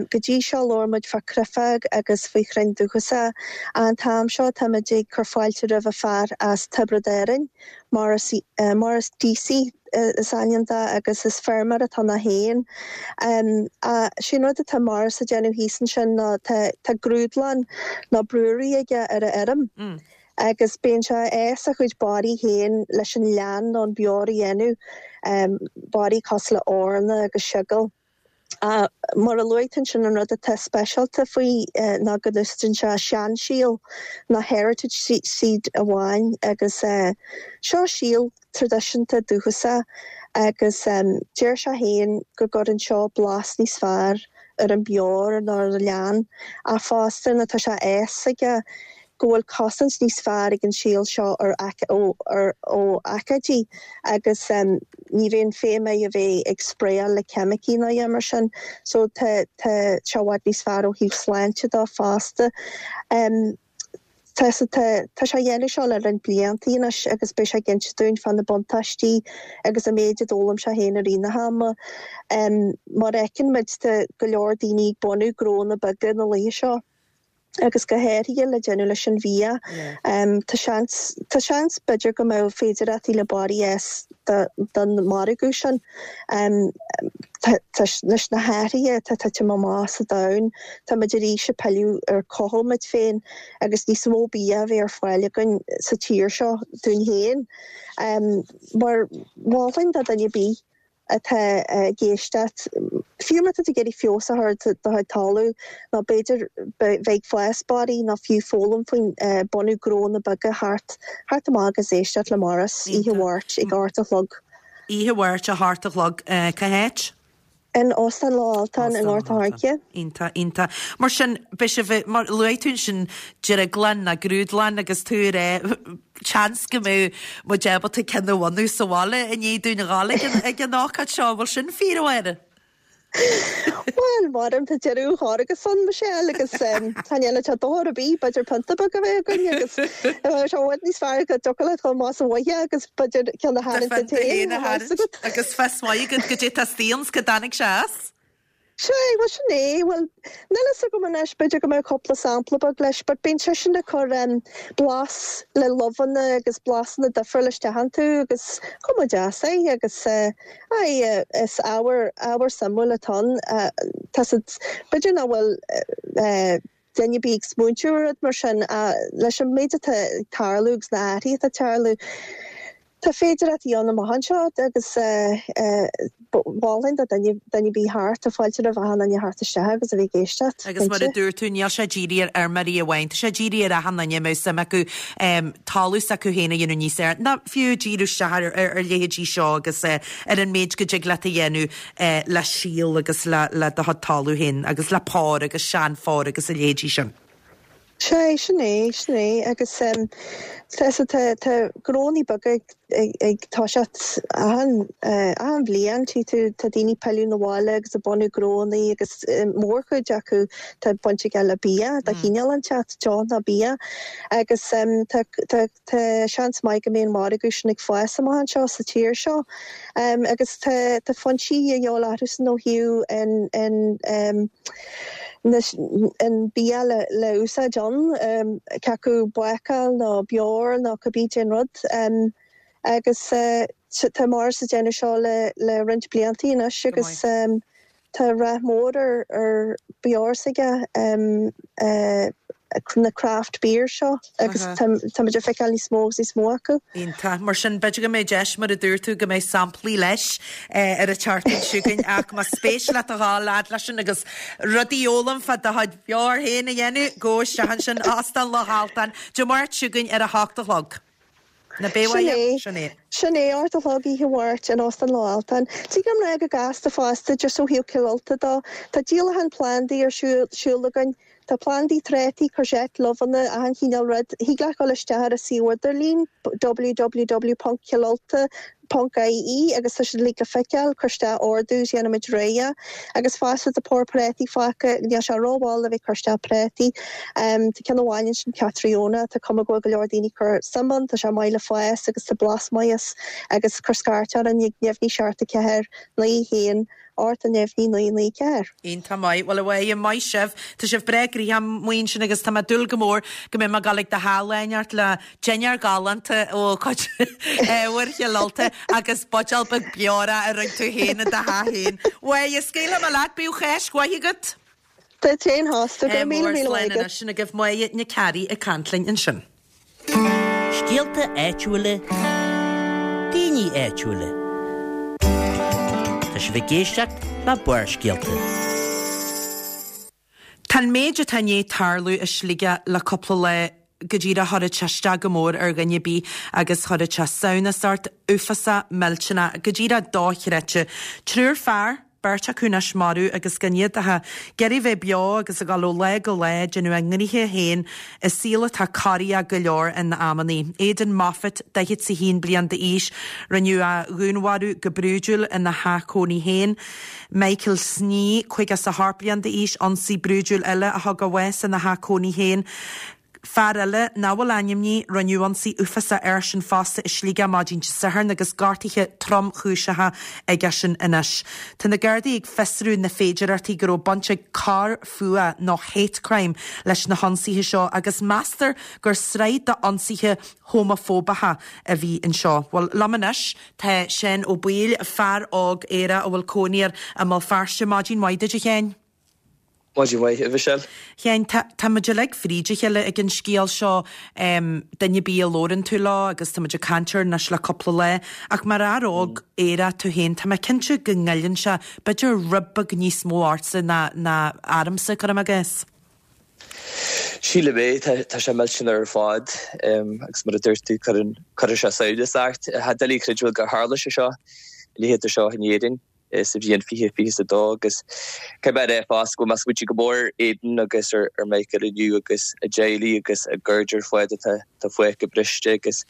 Go dtí seo labhair muid fá chreifeog agus faoi chrainn dúchasacha. An t-am seo táimid ag cur fáilte roimh fear as Tiobraid Árann, Maurice Maurice Deasy is ainm dó agus is feirmeoir atá ann féin. Sé an rud atá Maurice ag déanamh thíos ansin ná tá tá grúdlann nó brewery aige ar a fheirm agus bíonn sé ag fás a chuid barraí féin leis an leann nó an beoir a dhéanamh, barraí cosúil le eorna agus seagal. Mar a luaigh tú ansin an rud atá speisialta faoi ná go n-úsáideann sé seansíol nó heritage seed amháin agus seo síol traidisiúnta dúchasach agus deir sé féin go gcuireann seo blas níos fearr ar an beoir nó ar an leann ach fosta nó tá sé a fhios aige go bhfuil cosaint níos fearr ag an síol seo ar ó aicídí agus ní bhíonn feidhm air a bheith ag spraeáil le ceimicí ná a dhath mar sin so tá tá sé i bhfad níos fearr ó thaobh sláinte dó fosta. Tá tá tá sé á dhéanamh seo le roinnt blianta anois agus beidh sé ag inse dúinn fá na buntáistí agus an méid a d'fhoghlaim sé féin i rith na hama. Mar a fheiceann muid tá go leor daoine ag bunú gnónna beaga na laetha seo. agus go háirithe le déanamh leis an bhia. Tá seans, tá seans b'fhéidir go mbeadh féidearthachtaí le barraí a fhás don mhargadh sin. Tá, leis na hathruithe atá ag titim amach sa domhan, tá muid arís ag pilleadh ar chothú muid féin agus níos mó bia a bheith ar fáil againn sa tír seo dúinn féin. Mar mholfainn do dhuine ar bith atá ag éisteacht, fiú má tá tú ag iarraidh feabhas a chur ar do chuid talamh nó b'fhéidir bheith ag fás barraí nó fiú foghlaim faoin bunú gnónna beaga theacht theacht amach agus éisteacht le Maurice oíche Mháirt ag a hocht a chlog. Oíche Mháirt a hocht a chlog, cá háit? In Óstán Loch Altan i nGort an Choirce. Iontach, iontach. Mar sin, beidh sibh, mar luaigh tú ansin drioglann ná grúdlann agus tú ag rá seans go mbeadh muid ábalta ceann a bhunú sa bhaile i ndiaidh dúinn a ghabháil ag an, ag an ócáid seo. An bhfuil sin fíor, a Mháire? Bhuel, maram tá deireadh an chóir san Michelle agus tá eile tá dóir a bí b'fhéidir pionta beag a bheith againn agus sé bhfuil níos fearr go dtiocfadh leat chomh maith sa bhaile agus b'fhéidir ceann a tharraingt duit féin agus fios maith agat goidé tá istigh ann 's cá dtáinig sé as. Sé, bhuel sin é, bhuel níl fhios agam anois b'fhéidir go mbeadh cúpla sampla beag leis but bíonn sé sin ag cur um, blas le luibheanna agus blasanna difriúla isteach iontu agus cuma deas é agus uh, ai, is ábhar ábhar suimiúil atá ann uh, tá siad b'fhéidir nach bhfuil uh, duine ar bith ag smaointiú rud mar sin uh, leis an méid atá ag tarlú agus na hathruithe atá ag tarlú. Tá féidir í ann amach anseo agus mholfainn do duine ar bith thart tá fáilte roimh achan duine theacht isteach agus a bheith ag éisteacht. Agus mar a dúirt tú níl sé dírithe ar fheirmeoirí amháin, Tá sé dírithe ar achan duine a mbeadh suim acu talamh s'acu féin a dhéanamh níos fearr. Ná fiú díriú isteach ar ar leithéidí seo agus ar an méid go dtig leat a dhéanamh le síol agus le le do chuid talamh féin agus le pór agus seanphór agus a leithéidí sin. Sé sin é sin é agus um, tá tá gnónna beaga ag toiseacht achan achan bhliain tí tú tá daoine ag pilleadh na bhaile agus ag bunú gnónna agus mórchuid acu tá baint aige le bia de chineál inteacht deoch ná bia agus um, tá tá tá seans maith go mbeidh an margadh sin ag fás amach anseo sa tír seo um, agus tá tá foinsí a dheol san ó thaobh in in um, an bia le le úsáid ann um, cé acu bácáil nó beoir nó cibé an rud um, agus uh, tá mar sa déanamh seo le le roinnt blianta anois agus um, tá rath mór ar ar beoir s'aige um, uh, na craft beer seo agus tá tá feiceáil níos mó níos mó acu. Iontach mar sin b'fhéidir go mbeidh deis mar a dúirt tú go mbeidh samplaí leis ar an tseachtain seo chugainn ach más spéis leat a ghabháil fhad leis sin agus rudaí a fhoghlaim fá do chuid beoir féin a dhéanamh go isteach ansin Óstán Loch Altan Dé Máirt seo chugainn ar a hocht a chlog. Na bé Sin é Sin é ocht a chlog oíche Mháirt in Óstán Loch Altan. Tí gom le go gasta fosta just ó thaobh Cill Ulta dó Tá díolachán plandaí ar siúl againn Tá plandaí trátaí courgette luibheanna achan chineál rud thig leat dul isteach ar a suíomh idirlín www.cillulta.ie agus tá siad le le feiceáil cuir isteach ordú déanaimid réidh agus fosta tá pór préataí fágtha níl sé rómhall le bheith cur isteach préataí um, Tá ceann amháin sin Catriona tá cuma go go leor daoine cur suim ann tá sé maith le fás agus tá blas maith agus cur scairt orainn neamhní seacht a ceathair naoi haon ocht a neamhní naoi naoi ceathair. Iontach maith, well a maith sibh Tá sibh breá gnoitheach amuigh ansin agus tá mé ag dúil go mór go mbeidh mé ag gabháil ag do theach le dinnéar galánta ó chuid ábhair Chill Ulta agus buidéal beag beora a rinne tú féin i do theach féin. Bhuel, scaoilfidh mé leat bíodh Cáisc mhaith agat? Tá téin hásta go míle míle agat. Sin agaibh Máire Nic Fhearraigh ag caint linn ansin. Scéalta áitiúla, daoine áitiúla. Tá sibh ag éisteacht le Barrscéalta. Tá an méid atá i ndiaidh tarlú i Sligeach le cúpla lá go díreach chuirfeadh sé isteach go mór ar dhuine ar bith agus chuirfeadh sé samhnas ort uafásach millteanach go díreach dochreidte. Triúr fear beirt acu anois marbh agus gan iad ach ag iarraidh bheith beo agus ag dul ó lá go lá déanamh a ngnoithe féin i saol atá corraithe go leor in amannaí. Aidan Moffat daichead is a haon bliain d'aois rinneadh a dhúnmharú go brúidiúil ina theach cónaí féin. Michael Snee caoga is a hocht bliain d'aois ionsaí brúidiúil eile a thug a bhás ina theach cónaí féin. Fear eile nach bhfuil ainmnithe rinneadh ionsaí uafásach air sin fosta i Sligeach maidin Dé Sathairn agus gortuithe tromchúiseacha aige sin anois. Tá na Gardaí ag fiosrú na féidearthachtaí go raibh baint ag coir fuatha nó hate crime leis na hionsaithe seo agus meastar gur sraith d'ionsaithe homafóbacha a bhí anseo. Well liom anois tá Seán Ó Baoill fear óg Éireannach a bhfuil cónaí air i mBéal Feirste maidin mhaith duit a Sheáin. Maidin mhaith a Mhichelle. Sheáin tá muid uilig fríd a chéile ag an scéal seo um, duine ar bith a labhrann tú leo agus tá muid ag caint air anois le cúpla lá ach mar fhear óg Éireannach tú féin tá mé cinnte go ngoilleann sé b'fhéidir rud beag níos mó ortsa ná ná ormsa cuirim i gcás. Sílim é tá sé millteanach ar fad agus mar a dúirt tú cuireann sé samhnas ort. Tá doiligh a chreidiúint gur tharla sé seo leithéid seo in Éirinn. sa bhliain fiche fiche is a dó agus caithfidh mé a rá fosta go bhfuil mé ag smaointiú go mór ar Aidan agus ar ar Michael inniu agus a dteaghlaigh agus a gcairde ar fad atá atá fágtha briste agus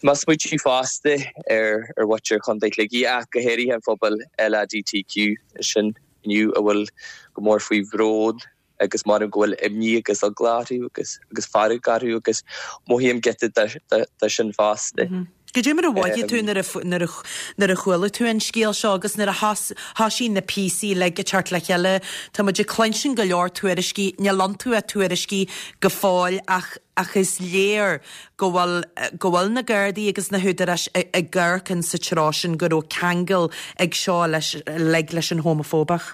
tá mé ag smaointiú fosta ar ar mhuintir Chontae Shligigh ach go háirithe an phobal LADTQ sin inniu a bhfuil go mór faoi bhrón agus m'anam go bhfuil imní agus eagla orthu agus agus fearg orthu agus mothaím giota de sin fosta. Goidé mar a mhothaigh tú nuair a nuair a nuair a chuala tú an scéal seo agus nuair a thosaigh na píosaí uilig ag teacht le chéile, tá muid ag cluinstin go leor tuairiscí, níl iontu ach tuairiscí go fóill ach ach is léir go bhfuil go bhfuil na Gardaí agus na húdaráis ag amharc in sa treo sin go raibh ceangal ag seo leis uilig leis an homafóbach.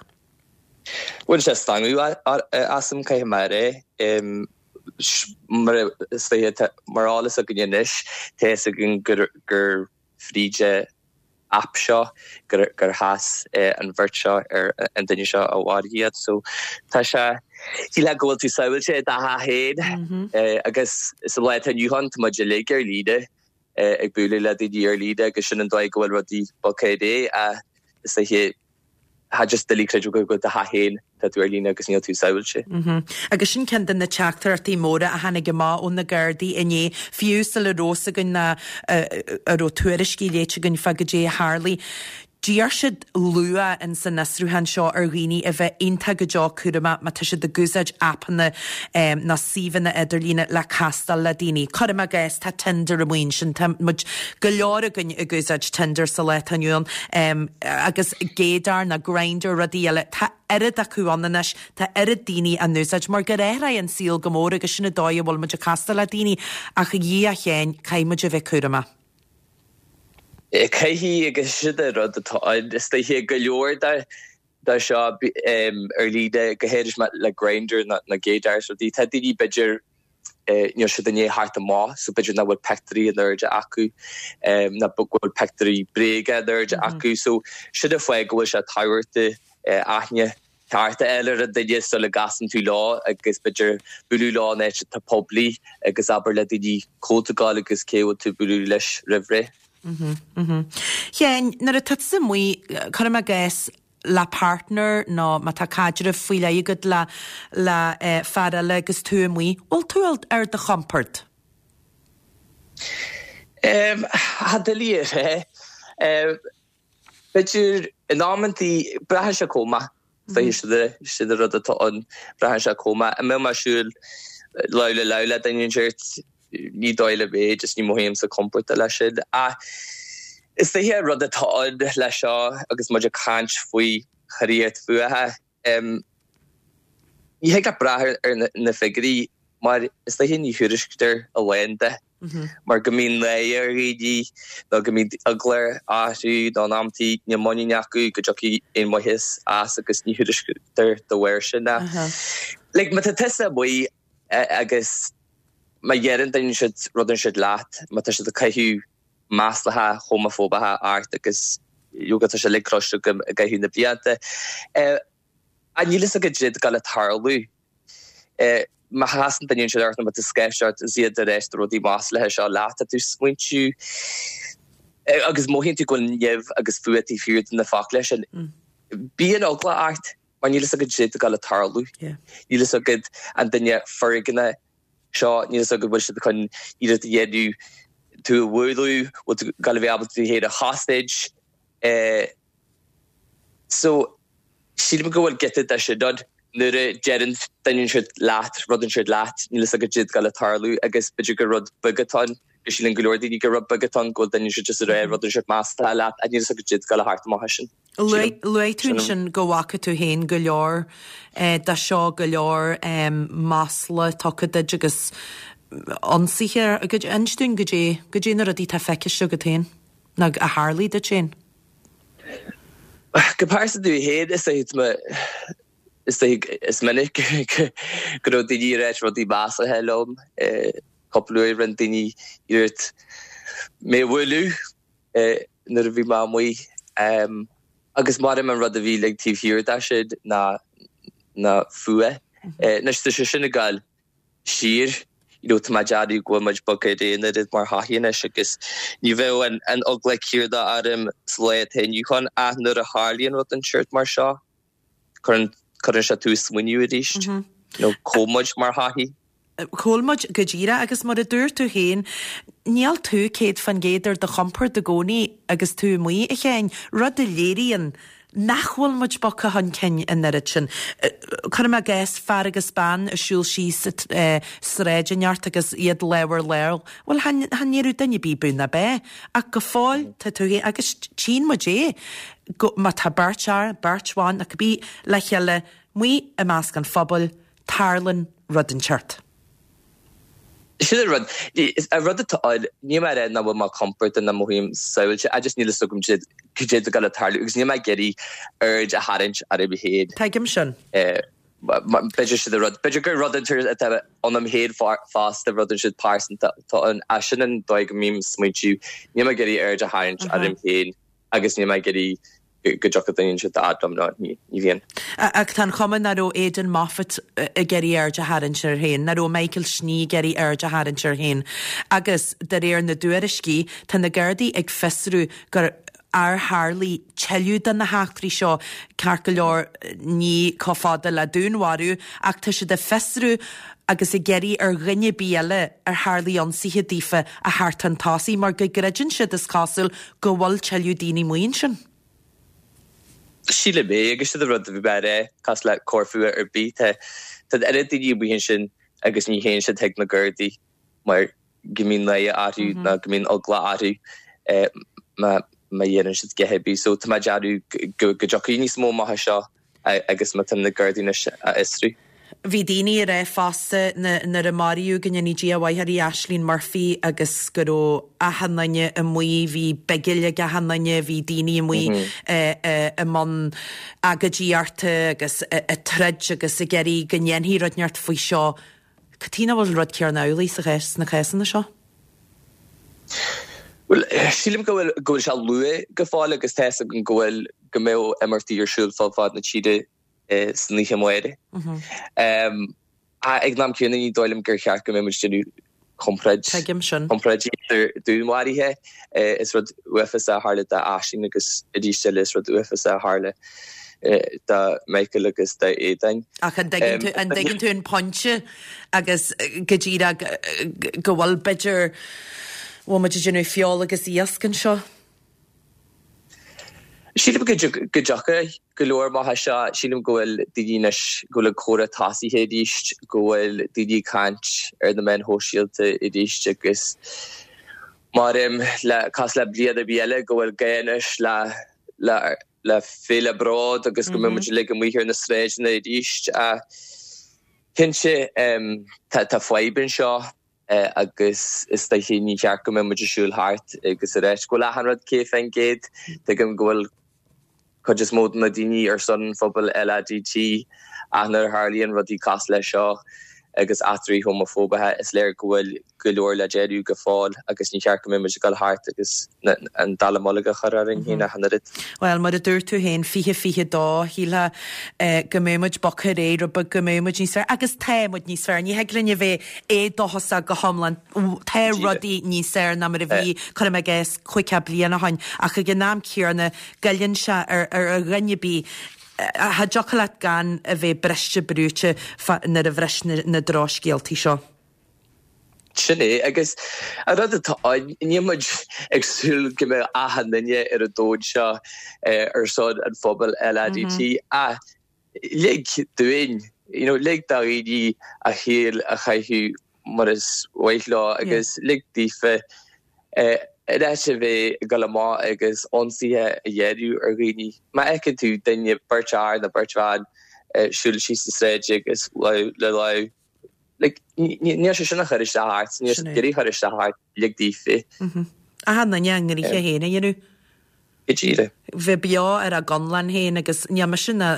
Bhain sé stangadh asam caithfidh mé a rá. Mar is dóiche mar eolas againn anois, tá fhios againn gur gur fríd an aip seo gur gur chas an bheirt seo ar an duine seo a mharaigh iad. So tá sé shílfeá go bhfuil tú sábháilte i do theach féin agus sa lá atá inniu ann tá muid uilig ar líne ag bualadh le daoine ar líne agus sin an dóigh go bhfuil rudaí bogtha ar aghaidh ach is dóiche Tá just doiligh creidbheáil go bhfuil do theach féin, tá tú ar líne agus níl tú sábháilte. Agus sin ceann de na teachtaireachtaí móra a tháinig amach ó na Gardaí inné, fiú sula raibh fhios againn ná a raibh tuairiscí léite againn fá goidé a tharlaigh. D'iarr siad luath in san fhiosrúchán seo ar dhaoine a bheith iontach go deo cúramach má tá siad ag úsáid aipeanna nó suíomhanna idirlíne le castáil le daoine. Cuirim i gcás, tá Tinder amuigh ansin, tá muid go leor againn ag úsáid Tinder sa lá atá inniu ann agus Gaydar nó Grindr, rudaí eile. Tá oiread acu ann anois, tá oiread daoine á n-úsáid mar gur athraigh an saol go mór agus sin an dóigh a bhfuil muid ag castáil le daoine ach a Dhia féin, caithfidh muid a bheith cúramach. Caithfidh agus sin an rud atá ann. Is dóiche go leor de de seo ar líne, go háirithe le Grindr nó Gaydar is rudaí, tá daoine b'fhéidir níl siad i ndiaidh theacht amach so b'fhéidir nach bhfuil pictiúirí in airde acu nó go bhfuil pictiúirí bréige in airde acu so sin an fáth go bhfuil sé tábhachtach aithne ceart a fháil ar an duine sula gcasann tú leo agus b'fhéidir bualadh leo in áit atá poiblí agus abair le daoine cá bhfuil tú ag gabháil agus cé bhfuil tú ag bualadh leis roimh ré. Sheáin, nuair atá tusa amuigh, cuirim i gcás, le partner nó má tá caidreamh faoi leith agat le le fear eile agus tú amuigh, bhfuil tú ar do chompord? Tá doiligh a rá. B'fhéidir in amantaí, braitheann sé chomh maith. Sin an rud atá ann, braitheann sé chomh maith. An mbeadh mé ag siúl lámh le lámh le duine inteacht, ní dóigh liom é, just ní mothaímse compordach leis sin. Ach is dóiche an rud atá ann leis seo agus muid ag caint faoi choireacht fuatha, ní thig leat brath ar na figiúirí mar is dóiche ní thuairisctear a lán de. mar go mbíonn náire ar dhaoine nó go mbíonn eagla orthu nó in amantaí níl muinín acu go dtiocfaidh aon mhaitheas as agus ní thuairisctear dá bharr sin. Like má tá tusa amuigh agus má dheireann duine inteacht rud inteacht leat, má tá siad ag caitheamh maslacha homafóbacha ort agus leoga tá sé uilig cloiste agam i gcaitheamh na blianta, níl fhios agat caidé atá ag gabháil a tarlú. Má chasann duine inteacht ort nó má tá sceist ort is iad ag ráit rudaí maslaithe seo leat, tá tú ag smaointiú agus mothaíonn tú go bhfuil nimh agus fuath taobh thiar de na focla sin. Bíonn eagla ort mar níl fhios agat caidé atá ag gabháil a tarlú. Níl fhios agat an duine foirgneach seo, níl fhios agat bhfuil siad chun iarracht a dhéanamh tú a bhualadh, bhfuil tú ag gabháil a bheith ábalta tú féin a chosaint. So, sílim go bhfuil giota de sin ann nuair a deireann duine inteacht leat rud inteacht leat, níl fhios agat caidé atá ag gabháil a tarlú agus b'fhéidir gur rud beag atá ann, go síleann go leor daoine gur rud beag atá ann, go bhfuil duine inteacht just ag rá rud inteacht maslaithe leat ach níl fhios agat caidé atá ag gabháil a theacht amach as sin. Luaigh tú ansin go bhfaca tú féin go leor de seo, go leor masla tugtha duit agus ionsaithe. Inis dúinn goidé, goidé na rudaí atá feicthe agat féin nó a tharlaigh duit féin. Go pearsanta domh féin, is dóiche is dóiche is minic go raibh daoine ag ráit rudaí maslaithe liom. Cúpla uair rinne daoine iarracht mé a bhualadh nuair a bhí mé amuigh. Agus maram an rud a bhí like taobh thiar de sin ná ná fuath. Anois tá sé sin ag gabháil siar, you know, tá mé ag déanamh go bhfuil muid bogtha ar aghaidh an oiread mar shochaí anois agus ní bheadh an, an eagla céanna orm sa lá atá inniu ann ach nuair a tharlaíonn rud den tseort mar seo, cuireann, cuireann sé tú ag smaoineamh arís, mm -hmm. you know, cá bhfuil muid mar shochaí. Cá bhfuil muid go díreach agus mar a dúirt tú féin, níl tú céad fan gcéad ar do chompord i gcónaí agus tú amuigh, a Sheáin, rud a léiríonn nach bhfuil muid bogtha chun cinn an oiread sin. Cuirim i gcás fear agus bean ag siúl síos sráid inteacht agus iad lámh ar lámh, bhuel chan ndéarfadh duine ar bith bú ná bé, ach go fóill tá tú féin, agus tchíonn muid é, go, má tá beirt fhear, beirt bhan, nó cibé le chéile amuigh i measc an phobail, tarlaíonn rud inteacht. Sin an rud. An rud atá ann, níl mé ag rá nach bhfuil mé compordach ná mothaím sábháilte, I just níl a fhios agam cad é atá ag gabháil a tarlú agus níl mé ag iarraidh aird a tharraingt orm féin. Tuigim sin. B'fhéidir sin an rud. B'fhéidir gur rud atá ionam féin fosta, rud inteacht pearsanta atá ann. Sin an dóigh go mbím ag smaointiú. Níl mé ag iarraidh aird a tharraingt orm féin agus níl mé ag iarraidh go dtiocfadh duine inteacht a fhad liom nó ní bhíonn. Ach tá an chuma nach raibh Aidan Moffat ag iarraidh aird a tharraingt air féin, nach raibh Michael Snee ag iarraidh aird a tharraingt air féin. Agus de réir na dtuairiscí, tá na Gardaí ag fiosrú gur ar tharlaigh tuilleadh de na heachtraí seo, ceart go leor ní chomh fada le dúnmharú, ach tá siad ag fiosrú agus ag iarraidh ar dhuine ar bith eile ar tharlaigh ionsaithe daofa a theacht chun tosaigh mar go gcreideann siad, is cosúil, go bhfuil tuilleadh daoine amuigh ansin. Sílim é, agus sin an rud a bhí mé a rá, cosúil le coir fuatha ar bith, tá tá an oiread daoine amuigh ansin agus ní théann siad chuig na Gardaí mar go mbíonn náire orthu nó go mbíonn eagla orthu má má dhéanann siad a dhath ar bith. So tá mé ag déanamh go go dtiocfaidh níos mó amach as seo agus má tá na Gardaí anois á fhiosrú. Bhí daoine ag rá fosta nuair a maraíodh, go ndéanaí Dia a mhaith uirthi, Ashling Murphy agus go raibh achan duine amuigh, bhí bigil ag achan duine, bhí daoine amuigh i mbun agóidíochta agus ag troid agus ag iarraidh go ndéanfaí rud inteacht faoi seo. Cad chuige nach bhfuil an rud céanna amhlaidh sa chás, sna cásanna seo? Bhuel, sílim go bhfuil go bhfuil sé luath go fóill agus tá fhios agam go bhfuil go mbeidh imeachtaí ar siúl fud fad na tíre san oíche amárach. Ag an am céanna ní dóigh liom gur cheart go mbeadh muid ag déanamh comparáid comparáidí idir dúnmharuithe. Is rud uafásach a tharla d'Aisling agus arís eile is rud uafásach a tharla do Michael agus d'Aodán. Ach an dtuigeann tú an dtuigeann tú an pointe agus go díreach go bhfuil b'fhéidir bhfuil muid ag déanamh feoil agus iasc anseo? Sílim go dtiocfaidh go leor amach as seo. Sílim go bhfuil daoine anois, go bhfuil an comhrá tosaithe arís, go bhfuil daoine ag caint ar na meáin shóisialta arís agus mar le cosúil le bliain ar bith eile go bhfuil gá anois le le le féile bród agus go mbeidh muid uilig amuigh ar na sráideanna arís. Cinnte tá fadhb anseo. agus is dóiche ní cheart go mbeadh muid ag siúl thart agus ag ráit go bhfuil achan rud céad fén gcéad. Tuigim go bhfuil cuid is mó de na daoine ar son an phobail LADT ach nuair a tharlaíonn rudaí cosúil leis seo agus eachtraí homafóbacha is léir go bhfuil go leor le déanamh go fóill agus ní cheart go mbeadh muid ag dul thart agus an dallamullóg a chur orainn féin achan oiread. Bhuel, mar a dúirt tú féin, fiche fiche dó, shílfeá go mbeadh muid bogtha ar aghaidh rud beag, go mbeadh muid níos fearr, agus tá muid níos fearr, ní thig linn a bheith éadóchasach go hiomlán, tá rudaí níos fearr ná mar a bhí, cuirim i gcás, caoga bliain ó shin, ach ag an am céanna, goilleann sé ar dhuine ar bith, cha dtiocfadh leat gan a bheith briste brúite nuair a bhris na drochscéaltaí seo. Sin é, agus an rud atá ann, níl muid ag súil go mbeadh achan duine ar an domhan seo ar son an phobail LADT, ach lig dúinn, you know, lig do dhaoine a shaol a chaitheamh mar is mhaith leo agus lig daofa in áit a bheith ag dul amach agus ionsaithe a dhéanamh ar dhaoine. Má fheiceann tú duine, beirt fhear nó beirt bhan siúl síos an sráid agus lámh le lámh, like, níl sé sin ag cur isteach ort, níl sé ag iarraidh cur isteach ort, lig daofa. Achan duine a ngnoithe féin a dhéanamh. Go díreach. Bheith beo ar a gconlán féin agus níl mise ná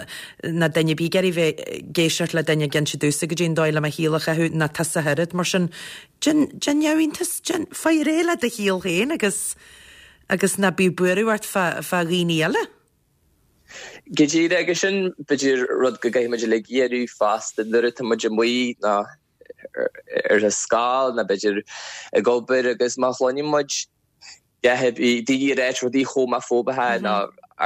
ná duine ar bith ag iarraidh bheith ag éisteacht le duine ag inse domhsa goidé an dóigh le mo shaol a chaitheamh ná tusa ach oiread. Mar sin, déan, déan neamhiontas, déan, faigh réidh le do shaol féin agus, agus ná bíodh buaireamh ort fá, fá dhaoine eile. Go díreach agus sin b'fhéidir rud go gcaithfidh muid uilig a dhéanamh fosta nuair atá muid amuigh ná ar a scoil nó b'fhéidir ag obair agus má chluineann muid daoine ag ráit rudaí homafóbacha nó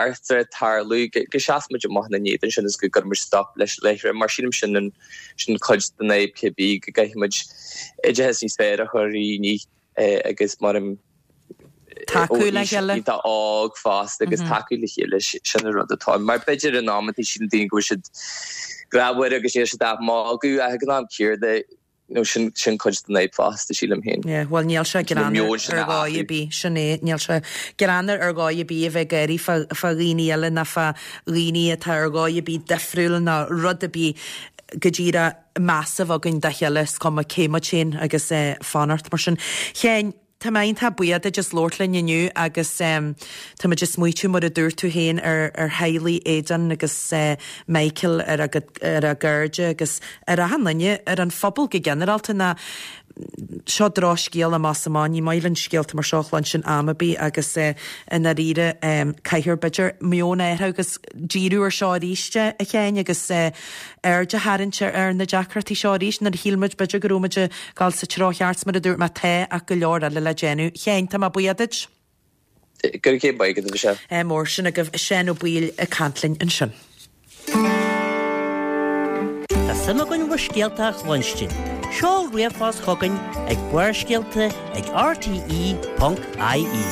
eachtra ag tarlú go seasann muid amach ina n-éadan sin is go gcuireann muid stop leis láithreach mar sílim sin an sin cuid den fhadhb cibé go gcaithfidh muid oideachas níos fearr a chur ar dhaoine agus mar tacú le chéile. Tá óg fosta agus tacú le chéile sin an rud atá mar b'fhéidir in amantaí síleann daoine go bhfuil siad grámhar agus níl siad ach magadh ach ag an am céanna nó sin sin cuid den fhadhb fosta sílim féin. Yeah, well níl sé greannmhar ar dhóigh ar bith sin é níl sé greannmhar ar dhóigh ar bith a bheith ag gáirí fá fá dhaoine eile ná fá dhaoine atá ar dhóigh ar bith difriúil ná rud ar bith go díreach meas a bheith againn dá chéile is cuma cé muid féin agus eh, fanacht mar sin. Sheáin, Tá mé iontach buíoch duit as labhairt linn inniu agus tá muid ag smaoitiú mar a dúirt tú féin ar ar theaghlaigh Aidan agus Michael ar a ar a gcairde agus ar achan duine, ar an phobal go ginearálta ná seo drochscéal amach is amach, ní maith linn scéalta mar seo a chluinstin am ar bith agus i ndáiríre caithfear b'fhéidir meon a athrú agus díriú ar seo arís a Sheáin agus aird a tharraingt ar na deacrachtaí seo arís nuair a shíl muid b'fhéidir go raibh muid ag dul sa treo cheart mar a dúirt mé tá ach go leor eile le déanamh. Sheáin, tá mé buíoch duit. Go raibh céad maith agat, a Mhichelle. Mór sin agaibh Seán Ó Baoill ag caint linn ansin. Tá suim againn bhur scéalta a chluinstin. Seol ríomhphost chugainn ag Barrscéalta ag rte ponc ie.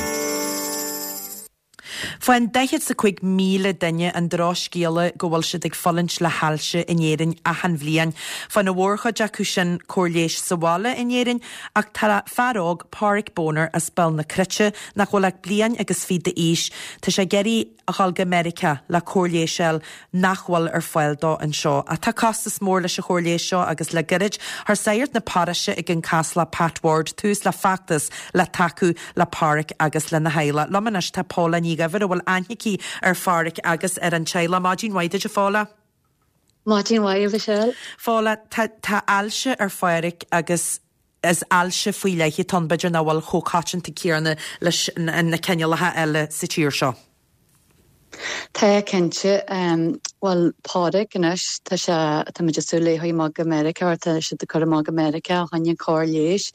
Faigheann daichead 's a cúig míle duine an drochscéala go bhfuil siad ag fulaingt le hailse in Éirinn achan bhliain. Faigheann an mhórchuid acu sin cóir leighis sa bhaile in Éirinn ach tá fear óg, Páraic Boner as Béal na Cruite, nach bhfuil ach bliain agus fiche d'aois, tá sé ag iarraidh a dhul go Meiriceá le cóir leighis a fháil nach bhfuil ar fáil dó anseo. Ach tá costas mór leis an chóir leighis seo agus le gairid chuir sagart na paróiste ag an Chaslach Pat Ward tús le feachtas le tacú le Páraic agus lena theaghlach. Liom anois tá Paula Ní Dhuibhir a bhfuil aithne aici ar Pháraic agus ar an teaghlach. Maidin mhaith duit a Phaula. Maidin mhaith a Mhichelle. Paula, tá tá ailse ar Pháraic agus is ailse faoi leith atá ann b'fhéidir nach bhfuil chomh coitianta céanna leis na cineálacha eile sa tír seo. Tá cinnte. Bhuel Pádraig anois tá sé tá muid ag súil le é amach go Meiriceá tá siad ag cur amach go Meiriceá a choinne cóir leighis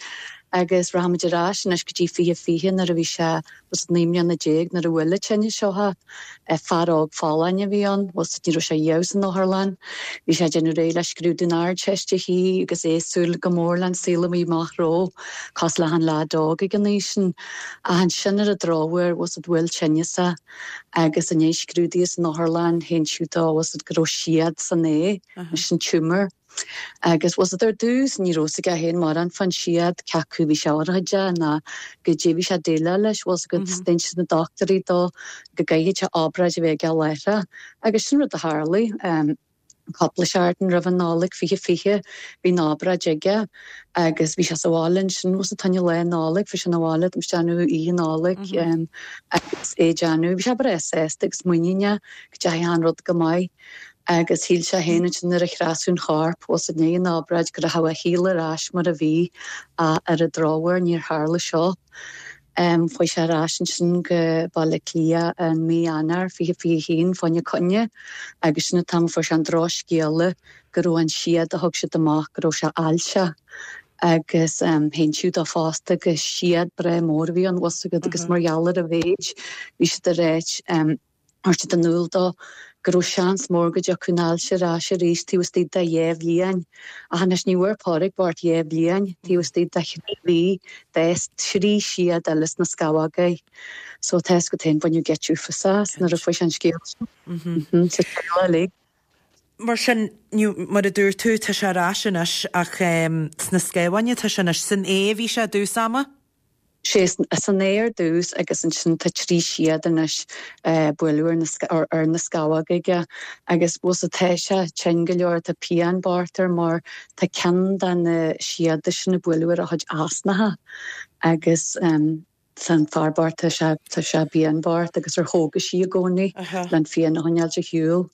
agus rachaimid ar ais anois go dtí fiche fiche nuair a bhí sé was naoi mbliana déag nuair a bhuail an tinneas seo é. Fear óg folláin a bhí ann, was ní raibh sé riamh san otharlann. Bhí sé ag déanamh réidh le scrúdú na hArdteiste thiar agus é ag súil go mór le an saol a bhí amach rompu, cosúil le achan leaid óg ag an aois sin. Ach ansin ar an drochuair was bhuail tinneas é agus i ndiaidh scrúdaithe san otharlann hinsíodh dó was go raibh siad san ae, sin tumour. Agus was ar dtús ní raibh a fhios aige féin mórán fán siad cé acu bhí sé urchóideach ná goidé bhí sé ag déileáil leis, was go d'inis na dochtúirí dó go gcaithfidh sé obráid a bheith aige láithreach. Agus sin rud a tharlaigh. Cúpla seachtain roimh an Nollaig fiche fiche bhí an obráid aige agus bhí sé sa bhaile ansin was tá lá Nollag bhí sé na bhaile tá déanamh oíche Nollag agus é déanamh bhí sé breá sásta agus muiníneach go dteachaigh an rud go maith agus shíl sé féin ansin nuair a thrasú an chorp was i ndiaidh an obráid go raibh a shaol ar ais mar a bhí ach ar an drochuair níor tharla seo. Chuaigh sé ar ais ansin go Baile Átha Cliath in mí Eanáir fiche fiche haon fá choinne coinne agus sin an t-am a fuair sé an drochscéala go raibh an siad a thug siad amach go raibh sé ailseach agus hinsíodh dó fosta go siad breá mór a bhí ann was agus mar gheall ar a mhéid bhí siad ag ráit chuir siad in iúl dó go raibh seans mór go dtiocfadh an ailse ar ais arís taobh istigh de dhá bhliain. Ach anois ní bhfuair Pádraig bocht dhá bhliain, taobh istigh de thrí mhí d'fhás trí siad eile sna scamhóga air. So tá fhios agat féin baineadh geit uafásach as nuair a fuair sé an scéal seo. Sa teaghlach uilig. Mar sin, mar a dúirt tú, tá sé ar ais anois ach sna scamhóga atá sé anois. San ae a bhí sé i dtús ama? Sé san ae ar dtús agus ansin tá trí siad anois bualadh ar na scamhóga aige agus bhfuil tá sé tinn go leor tá pian bocht air mar tá ceann de na siada sin ag bualadh ar a chuid osnacha agus tá an fear bocht tá sé tá sé pian bocht agus ar chógaisí i gcónaí le an phian a choinneáil ar shiúl.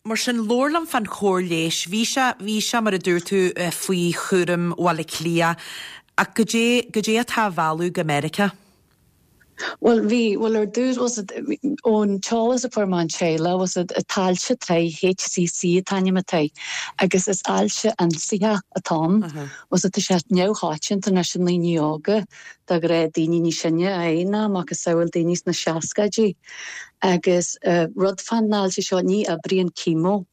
Mar sin labhair liom fán chóir leighis. Bhí sé bhí sé mar a dúirt tú faoi chúram Bhaile Átha Cliath. Ach goidé, goidé atá á mhealladh go Meiriceá? Bhuel bhí, bhuel ar dtús was it ón t-eolas a fuair mé ón teaghlach was it an t-ailse atá HCC an t-ainm atá agus is ailse ionsaitheach atá ann. Was it tá sé neamhchoitianta anois i ndaoine óga de ghnáth daoine níos sine a fhaigheann é macasamhail daoine sna seascaidí agus rud fán ailse seo ní oibríonn chemo.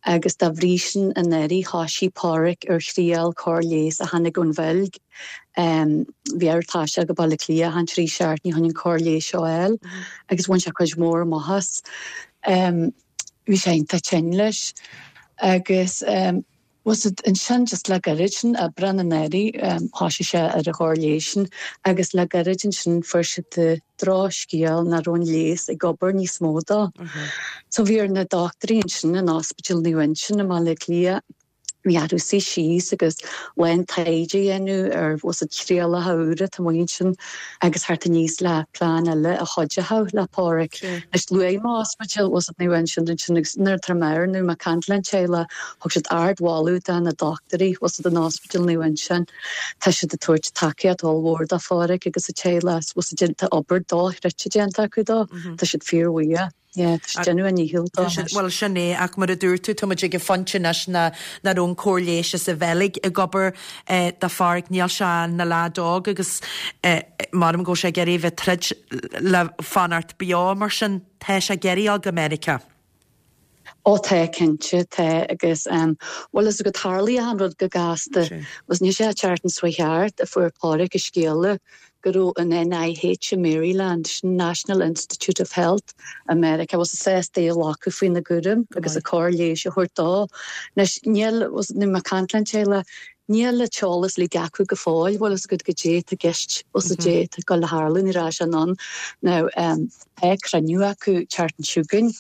agus dá bhrí sin anuraidh thoisigh Páraic ar thriail cóir leighis a tháinig ón Bheilg. Bhí air taisteal go Baile Átha Cliath achan trí seachtainí chun an cóir leighis seo a fháil agus bhain sé cuid mhór amach as. Bhí sé iontach tinn leis agus was it ansin just le gairid sin, Aibreán anuraidh, thoisigh sé ar an chóir leighis sin agus le gairid ansin fuair siad drochscéal nach raibh an leigheas ag obair níos mó dó. So bhí ar na dochtúirí ansin in Ospidéal Naomh Uinseann i mBaile Átha Cliath, bhí orthu suí síos agus a lán taighde a dhéanamh ar was it trialacha úra atá amuigh ansin agus theacht aníos le plean eile a chuideodh le Páraic. Anois luaigh mé Ospidéal was it Naomh Uinseann ansin agus nuair atá mé ar nó mé ag caint le an teaghlach thug siad ardmholadh do na dochtúirí was it in Ospidéal Naomh Uinseann. Tá siad ag tabhairt tacaíocht ollmhór do Pháraic agus a teaghlach was it tá obair dochreidte déanta acu dó. Tá siad fíorbhuíoch. Yeah, tá siad ag déanamh a ndícheall dó anois. Bhuel, sin é, ach mar a dúirt tú, tá muid ag an phointe anois nach raibh an cóir leighis as an Bheilg ag obair do Pháraic, níl sé ina leaid óg agus maram go bhfuil sé ag iarraidh a bheith ag troid le fanacht beo, mar sin tá sé ag iarraidh a dhul go Meiriceá. Ó tá, cinnte, tá agus bhuel is go dtarlaíonn an rud go gasta. Was níl sé an tseachtain seo thart a fuair Páraic an scéala go raibh an NIH i Maryland, sin National Institute of Health i Meiriceá, was sásta é a ghlacadh faoina gcúram agus an cóir leighis a thabhairt dó. Anois níl, was nuair mé ag caint le an teaghlach, níl an t-eolas uilig acu go fóill, bhfuil fhios agat goidé atá i gceist, was goidé atá ag dul a tharlú, ní raibh sé in ann. Now tá cruinniú acu an tseachtain seo chugainn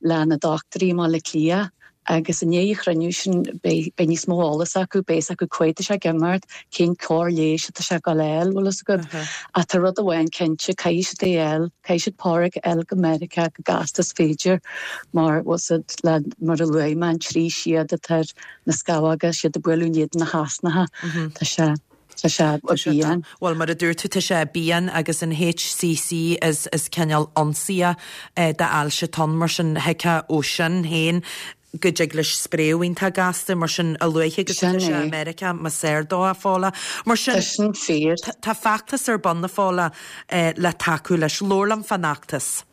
le na dochtúirí i mBaile Átha Cliath agus i ndiaidh an chruinniú sin beidh níos mó eolas acu, beidh fhios acu cá fhad tá sé ag imeacht, cén cóir leighis atá sé ag dul a fháil, bhfuil fhios agat. Ach tá rud amháin cinnte, caithfidh siad é a fháil, caithfidh siad Páraic a fháil go Meiriceá go gasta is féidir mar, bhfuil fhios agat, le, mar a luaigh mé, an trí siad atá ar na scamhóga, siad ag bualadh in éadan na heasnacha, tá sé. Tá sé i bpian. Bhuel, mar a dúirt tú, tá sé i bpian agus an HCC is is cineál ionsaithe d'ailse atá ann, mar sin thuigfeá ó sin féin go dtig leis spréadh iontach gasta, mar sin a luaithe agus atá sé i Meiriceá, más fhearr dó, a Phóla. Mar sin, Tá sin fíor. tá feachtas ar bun, a Phóla, le tacú leis. Labhair liom fán fheachtas.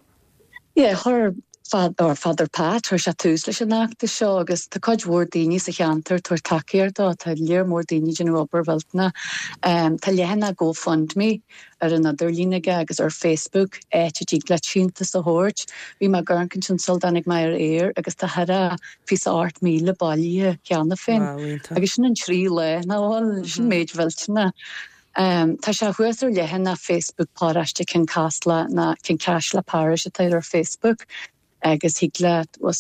Yeah, chuir or Father Pat, chuir sé tús leis an fheachtas seo agus tá cuid mhór daoine sa cheantar ag tabhairt tacaíocht dó, tá léar mór daoine ag déanamh obair mhillteanach. Tá leathanach GoFundMe ar an idirlíon aige agus ar Facebook, áit a dtig leat síntiús a thabhairt. Bhí mé ag amharc ansin sula dtáinig mé ar aer agus tá thar a fiche ocht míle bailithe cheana féin. Wow, iontach. Agus sin in trí lá, nach bhfuil? Sin méid mhillteanach. Tá sé thuas ar leathanach Facebook Paróiste Chionn Caslach nó Cionn Caisle Parish atá ar Facebook agus thig leat má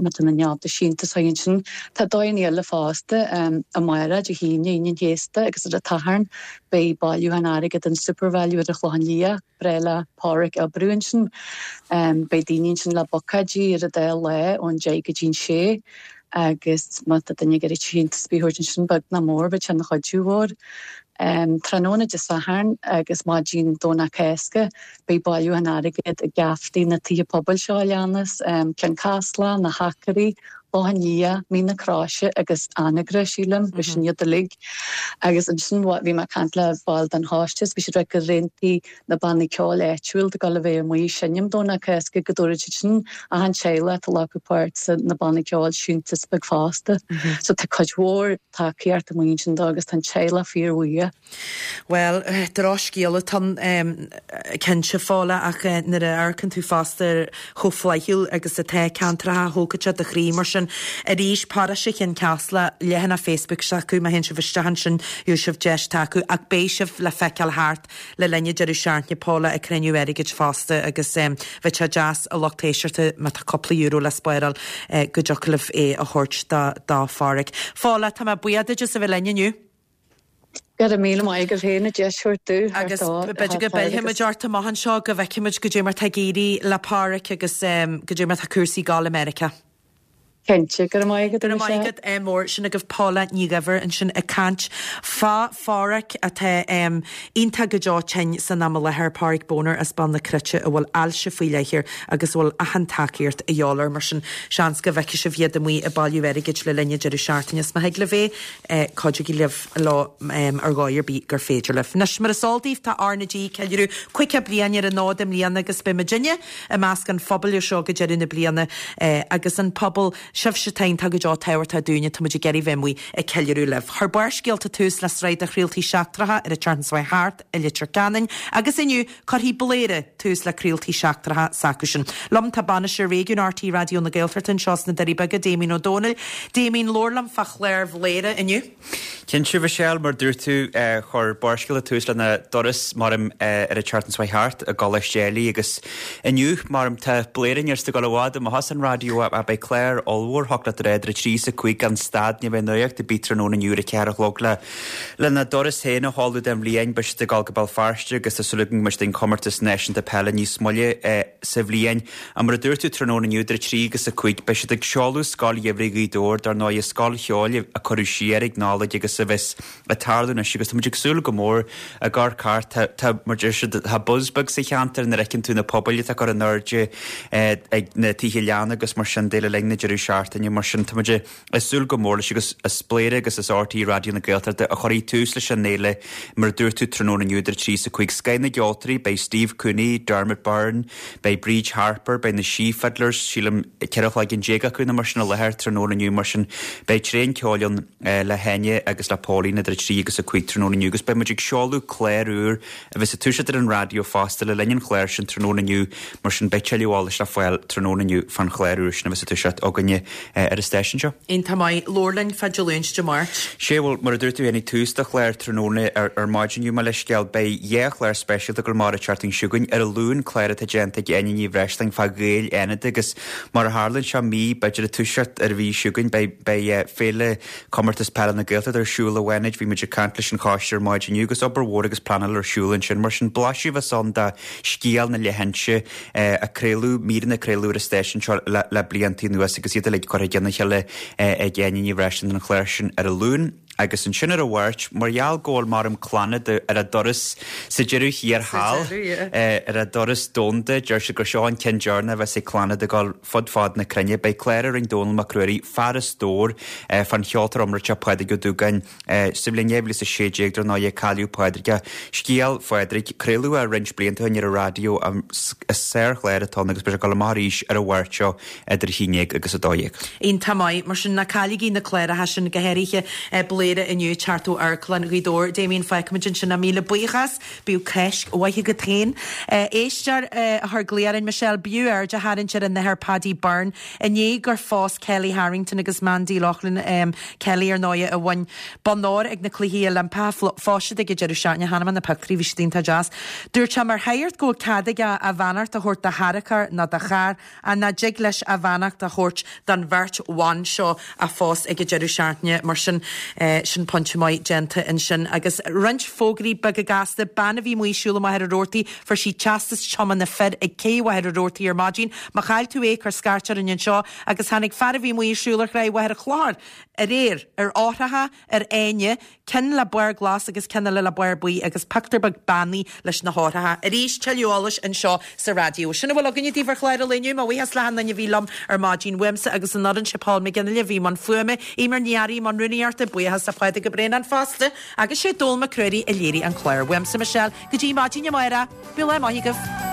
tá duine ábalta síntiús a thabhairt ansin. Tá dóigheanna eile fosta, amárach Dé hAoine, Aoine an Chéasta agus ar an tSatharn beidh bailiúchán airgid in Supervalu ar an Chlochán Liath, breá le Páraic oibriú ansin. Beidh daoine ansin le buicéidí ar an dá lá ón deich go dtí an sé. agus má tá duine ag iarraidh síntiús ar bith a thabhairt ansin, beag ná mór, bheadh sé ina chuidiú mhór. Tráthnóna Dé Sathairn agus maidin Domhnach Cásca beidh bailiúchán airgid i gcaiféanna na tithe pobail seo a leanas, Cionn Caslach, Na hAcairí, Loch an Liath, Mín na Croise agus Anagaire, sílim, b'shin iad uilig. Agus ansin bhí mé ag caint le baill den choiste is bhí siad ag rá gur aontaigh na bannaí ceoil áitiúil atá ag dul a bheith amuigh ag seinm Domhnach Cásca go dtabharfaidh siad sin achan teaghlach atá ag glacadh páirt sa na bannaí ceoil síntiús beag fosta. So tá cuid mhór tacaíocht amuigh ansin dó agus tá an teaghlach fíorbhuíoch. Bhuel, drochscéal atá ann cinnte, Fódhla, ach nuair a amharcann tú fosta ar chomh flaithiúil agus atá ceantracha, thógfadh sé do chroí mar sin. Arís, Paróiste Chionn Caslach, leathanach Facebook s'acu, má théann sibh isteach ansin, gheobhaidh sibh deis tacú, ach beidh sibh le feiceáil thart le linn an deireadh seachtaine, Paula, ag cruinniú airgid fosta agus bheadh sé deas a lucht éisteachta má tá cúpla euro le spáráil go dtiocfadh libh é a thabhairt do Pháraic. Fódhla, tá mé buíoch duit as a bheith linn inniu. Go raibh míle maith agat féin an deis a thabhairt domh. Agus b'fhéidir go bpillfimid ort amach anseo go bhfeicfimid goidé mar tá ag éirí le Páraic agus goidé mar tá cúrsaí ag dul i Meiriceá. Cinnte, go raibh maith agat, Go raibh maith Michelle. agat, eh, mór. Sin agaibh Paula Ní Dhuibhir ansin ag caint fá Pháraic atá em, iontach go deo tinn san am i láthair, Páraic Boner as Béal na Cruite a bhfuil ailse faoi leith air agus a bhfuil achan tacaíocht a dhíobháil air mar sin seans go bhfeicfidh sibh iad amuigh ag bailiú airgid le linn an deireadh seachtaine. Is má thig libh é, eh, cuidigí libh leo em, ar dhóigh ar bith gur féidir libh. Anois mar is eol daoibh tá R na G ag ceiliúradh caoga bliain ar an fhód i mbliana agus beidh muidinne i measc an phobail seo go deireadh na bliana eh, agus an pobal sibhse atá iontach go deo tábhachtach dúinne tá muid ag iarraidh bheith amuigh ag ceiliúradh libh. Chuir Barrscéalta tús le sraith de chraoltaí seachtracha ar an tseachtain seo thart i Leitir Ceanainn, agus inniu cuirfidh Bléire tús le craoltaí seachtracha s'acusan. Liom tá bainisteoir réigiún RTÉ Raidió na Gaeltachta anseo sna Doirí Beaga, Damien Ó Dónaill. Damien labhair liom fá chlár Bhléire inniu. Cinnte Michelle mar dúirt tú eh, chuir Barrscéalta tús lena dturas maram eh, ar an tseachtain seo thart i gColáiste Éilí agus inniu maram tá Bléire ar go bhd má has an raidió a beidh clár ollmhór chocolate idir a trí is a cúig gan stad ní bheidh nuacht ar bith tráthnóna inniu ar a ceathair a chlog le lena dturas féin a sheoladh den bhliain beidh siad ag dul go Béal Feirste agus tá súil againn go mbeidh siad ag an comórtas náisiúnta peile níos moille eh, sa bhliain. A mar a dúirt tú tráthnóna inniu idir a trí agus a cúig beidh siad ag seoladh Scoil Gheimhridh Ghaoth Dobhair dar ndóigh scoil cheoil a cuireadh siar ag Nollaig agus a bheas ag tarlú anois agus tá muid ag súil go mór a gar cart tá mar deir siad tá buzz beag sa cheantar nuair a fheiceann tú na pubaill atá curtha in airde eh, ag na tithe leanna agus mar sin de le linn na deireadh seachtaine mar sin tá muid ag súil go mór leis agus is Bléire agus is RTÉ Raidió na Gaeltachta a chuirfidh tús leis an fhéile mar a dúirt tú tráthnóna inniu idir trí is a cúig scoth na gceoltóirí beidh Steve Cooney, Dermot Byrne, beidh Bríd Harper, beidh na She Fiddlers, sílim ceithre chloigeann déag acu nó mar sin i láthair tráthnóna inniu mar sin beidh tréan ceoil ann eh, le hEine agus le Pauline idir a trí agus a cúig tráthnóna inniu agus beidh muid ag seoladh clár úr a bheas ag toiseacht ar an raidió fosta le linn an chláir sin tráthnóna inniu mar sin beidh tuilleadh eolais le fáil tráthnóna inniu fan chlár úr sin a bheas ag toiseacht againne eh, ar an stáisiún seo. Iontach maith labhair linn fá Dé Luain Dé Máirt. Sé bhfuil mar a dúirt tú tháinig tús do chlár tráthnóna ar, ar maidin inniu mar le scéal beidh dhá chlár speisialta go mar a teartain siúgain ar an Luan clár atá déanta ag Áine Ní Bhreisleáin fá Ghaeil Fhánada agus mar a tharlaíonn seo mí b'fhéidir ag toiseacht ar mhí siúgain beidh beidh eh, féile comórtas peile na Gaeltachta ar siúl i bhFánaid bhí muid ag caint leis an choiste ar maidin inniu agus obair mhór agus pleanáil ar siúl ansin mar sin blaiseadh bheas ann de scéal na leithinse eh, a craoladh míreanna craoladh ar an stáisiún seo le, le blianta anuas agus iad uilig curtha ina chéile eh, ag Áine Ní Bhreisleáin an chlár sin ar an Luan. agus ansin ar an Mháirt mar gheall go bhfuil mar Clannad ar a dturas sa deireadh thiar thall eh, ar a dturas domhanda deir siad gur seo an ceann deireanach a bheas ag Clannad ag dul fud fad na cruinne beidh clár a rinne Dónall Mac Ruairí fear an stóir eh, fan cheoltóir iomráiteach Pádraig Ó Dúgáin eh, sa bhliain dhá mhíle is a sé déag dar ndóigh cailleadh Pádraig scéal Phádraig craoladh é roinnt blianta ó shin ar an raidió is sárchlár atá ann agus beidh sé ag dul amach arís ar an Mháirt seo idir haon déag agus a dó dhéag. Iontach maith mar sin ná cailligí na cláracha sin go háirithe eh, Bléire inniu teacht ó Amharclann Ghaoth Dobhair Damien feicfimid ansin a míle buíochas bíodh Cáisc mhaith agat féin. Eh, éisteoir eh, a chuir glao orainn Michelle b'fhiú aird a tharraingt ar an Athair Paddy Byrne inné gur phós Kelly Harrington agus Mandy Loughlin um, Kelly ar ndóigh a bhain bonn óir ag na Cluichí Oilimpeacha phós siad ag an deireadh seachtaine chonaic mé na pictiúirí bhí siad iontach deas. Dúirt sé mar shagart go bhfuil cead aige a bheannacht a thabhairt do charachar nó do charr a ná dtig leis a bheannacht a thabhairt don bheirt bhan seo a phós ag an deireadh seachtaine mar sin eh, sin pointe maith déanta ansin agus roinnt fógraí beaga gasta bean a bhí amuigh ag siúl i Machaire Rabhartaigh fuair sí teastas tiomána fir ag cé Mhachaire Rabhartaigh ar maidin má chaill tú é cuir scairt orainn anseo agus tháinig fear a bhí amuigh ag siúl ar Chraobh Mhachaire Chlochair aréir ar eochracha ar fháinne ceann le barr glas agus ceann eile le barr buí agus pictiúr beag beannaí leis na heochracha. Arís tuilleadh eolais anseo sa raidió. Sin a bhfuil againne daoibh ar chlár an lae inniu mo bhuíochas le achan duine a bhí liom ar maidin uaimse agus an fhoireann sé Paul McGinley bhí i mbun fuaime, Emer Ní i mbun rúnaíochta buíochas le Pádraig Ó Braonáin fosta, agus sé Dól McCrory a léirigh an clár. Uaimse Michelle go dtí maidin amárach, Bí le maith agaibh.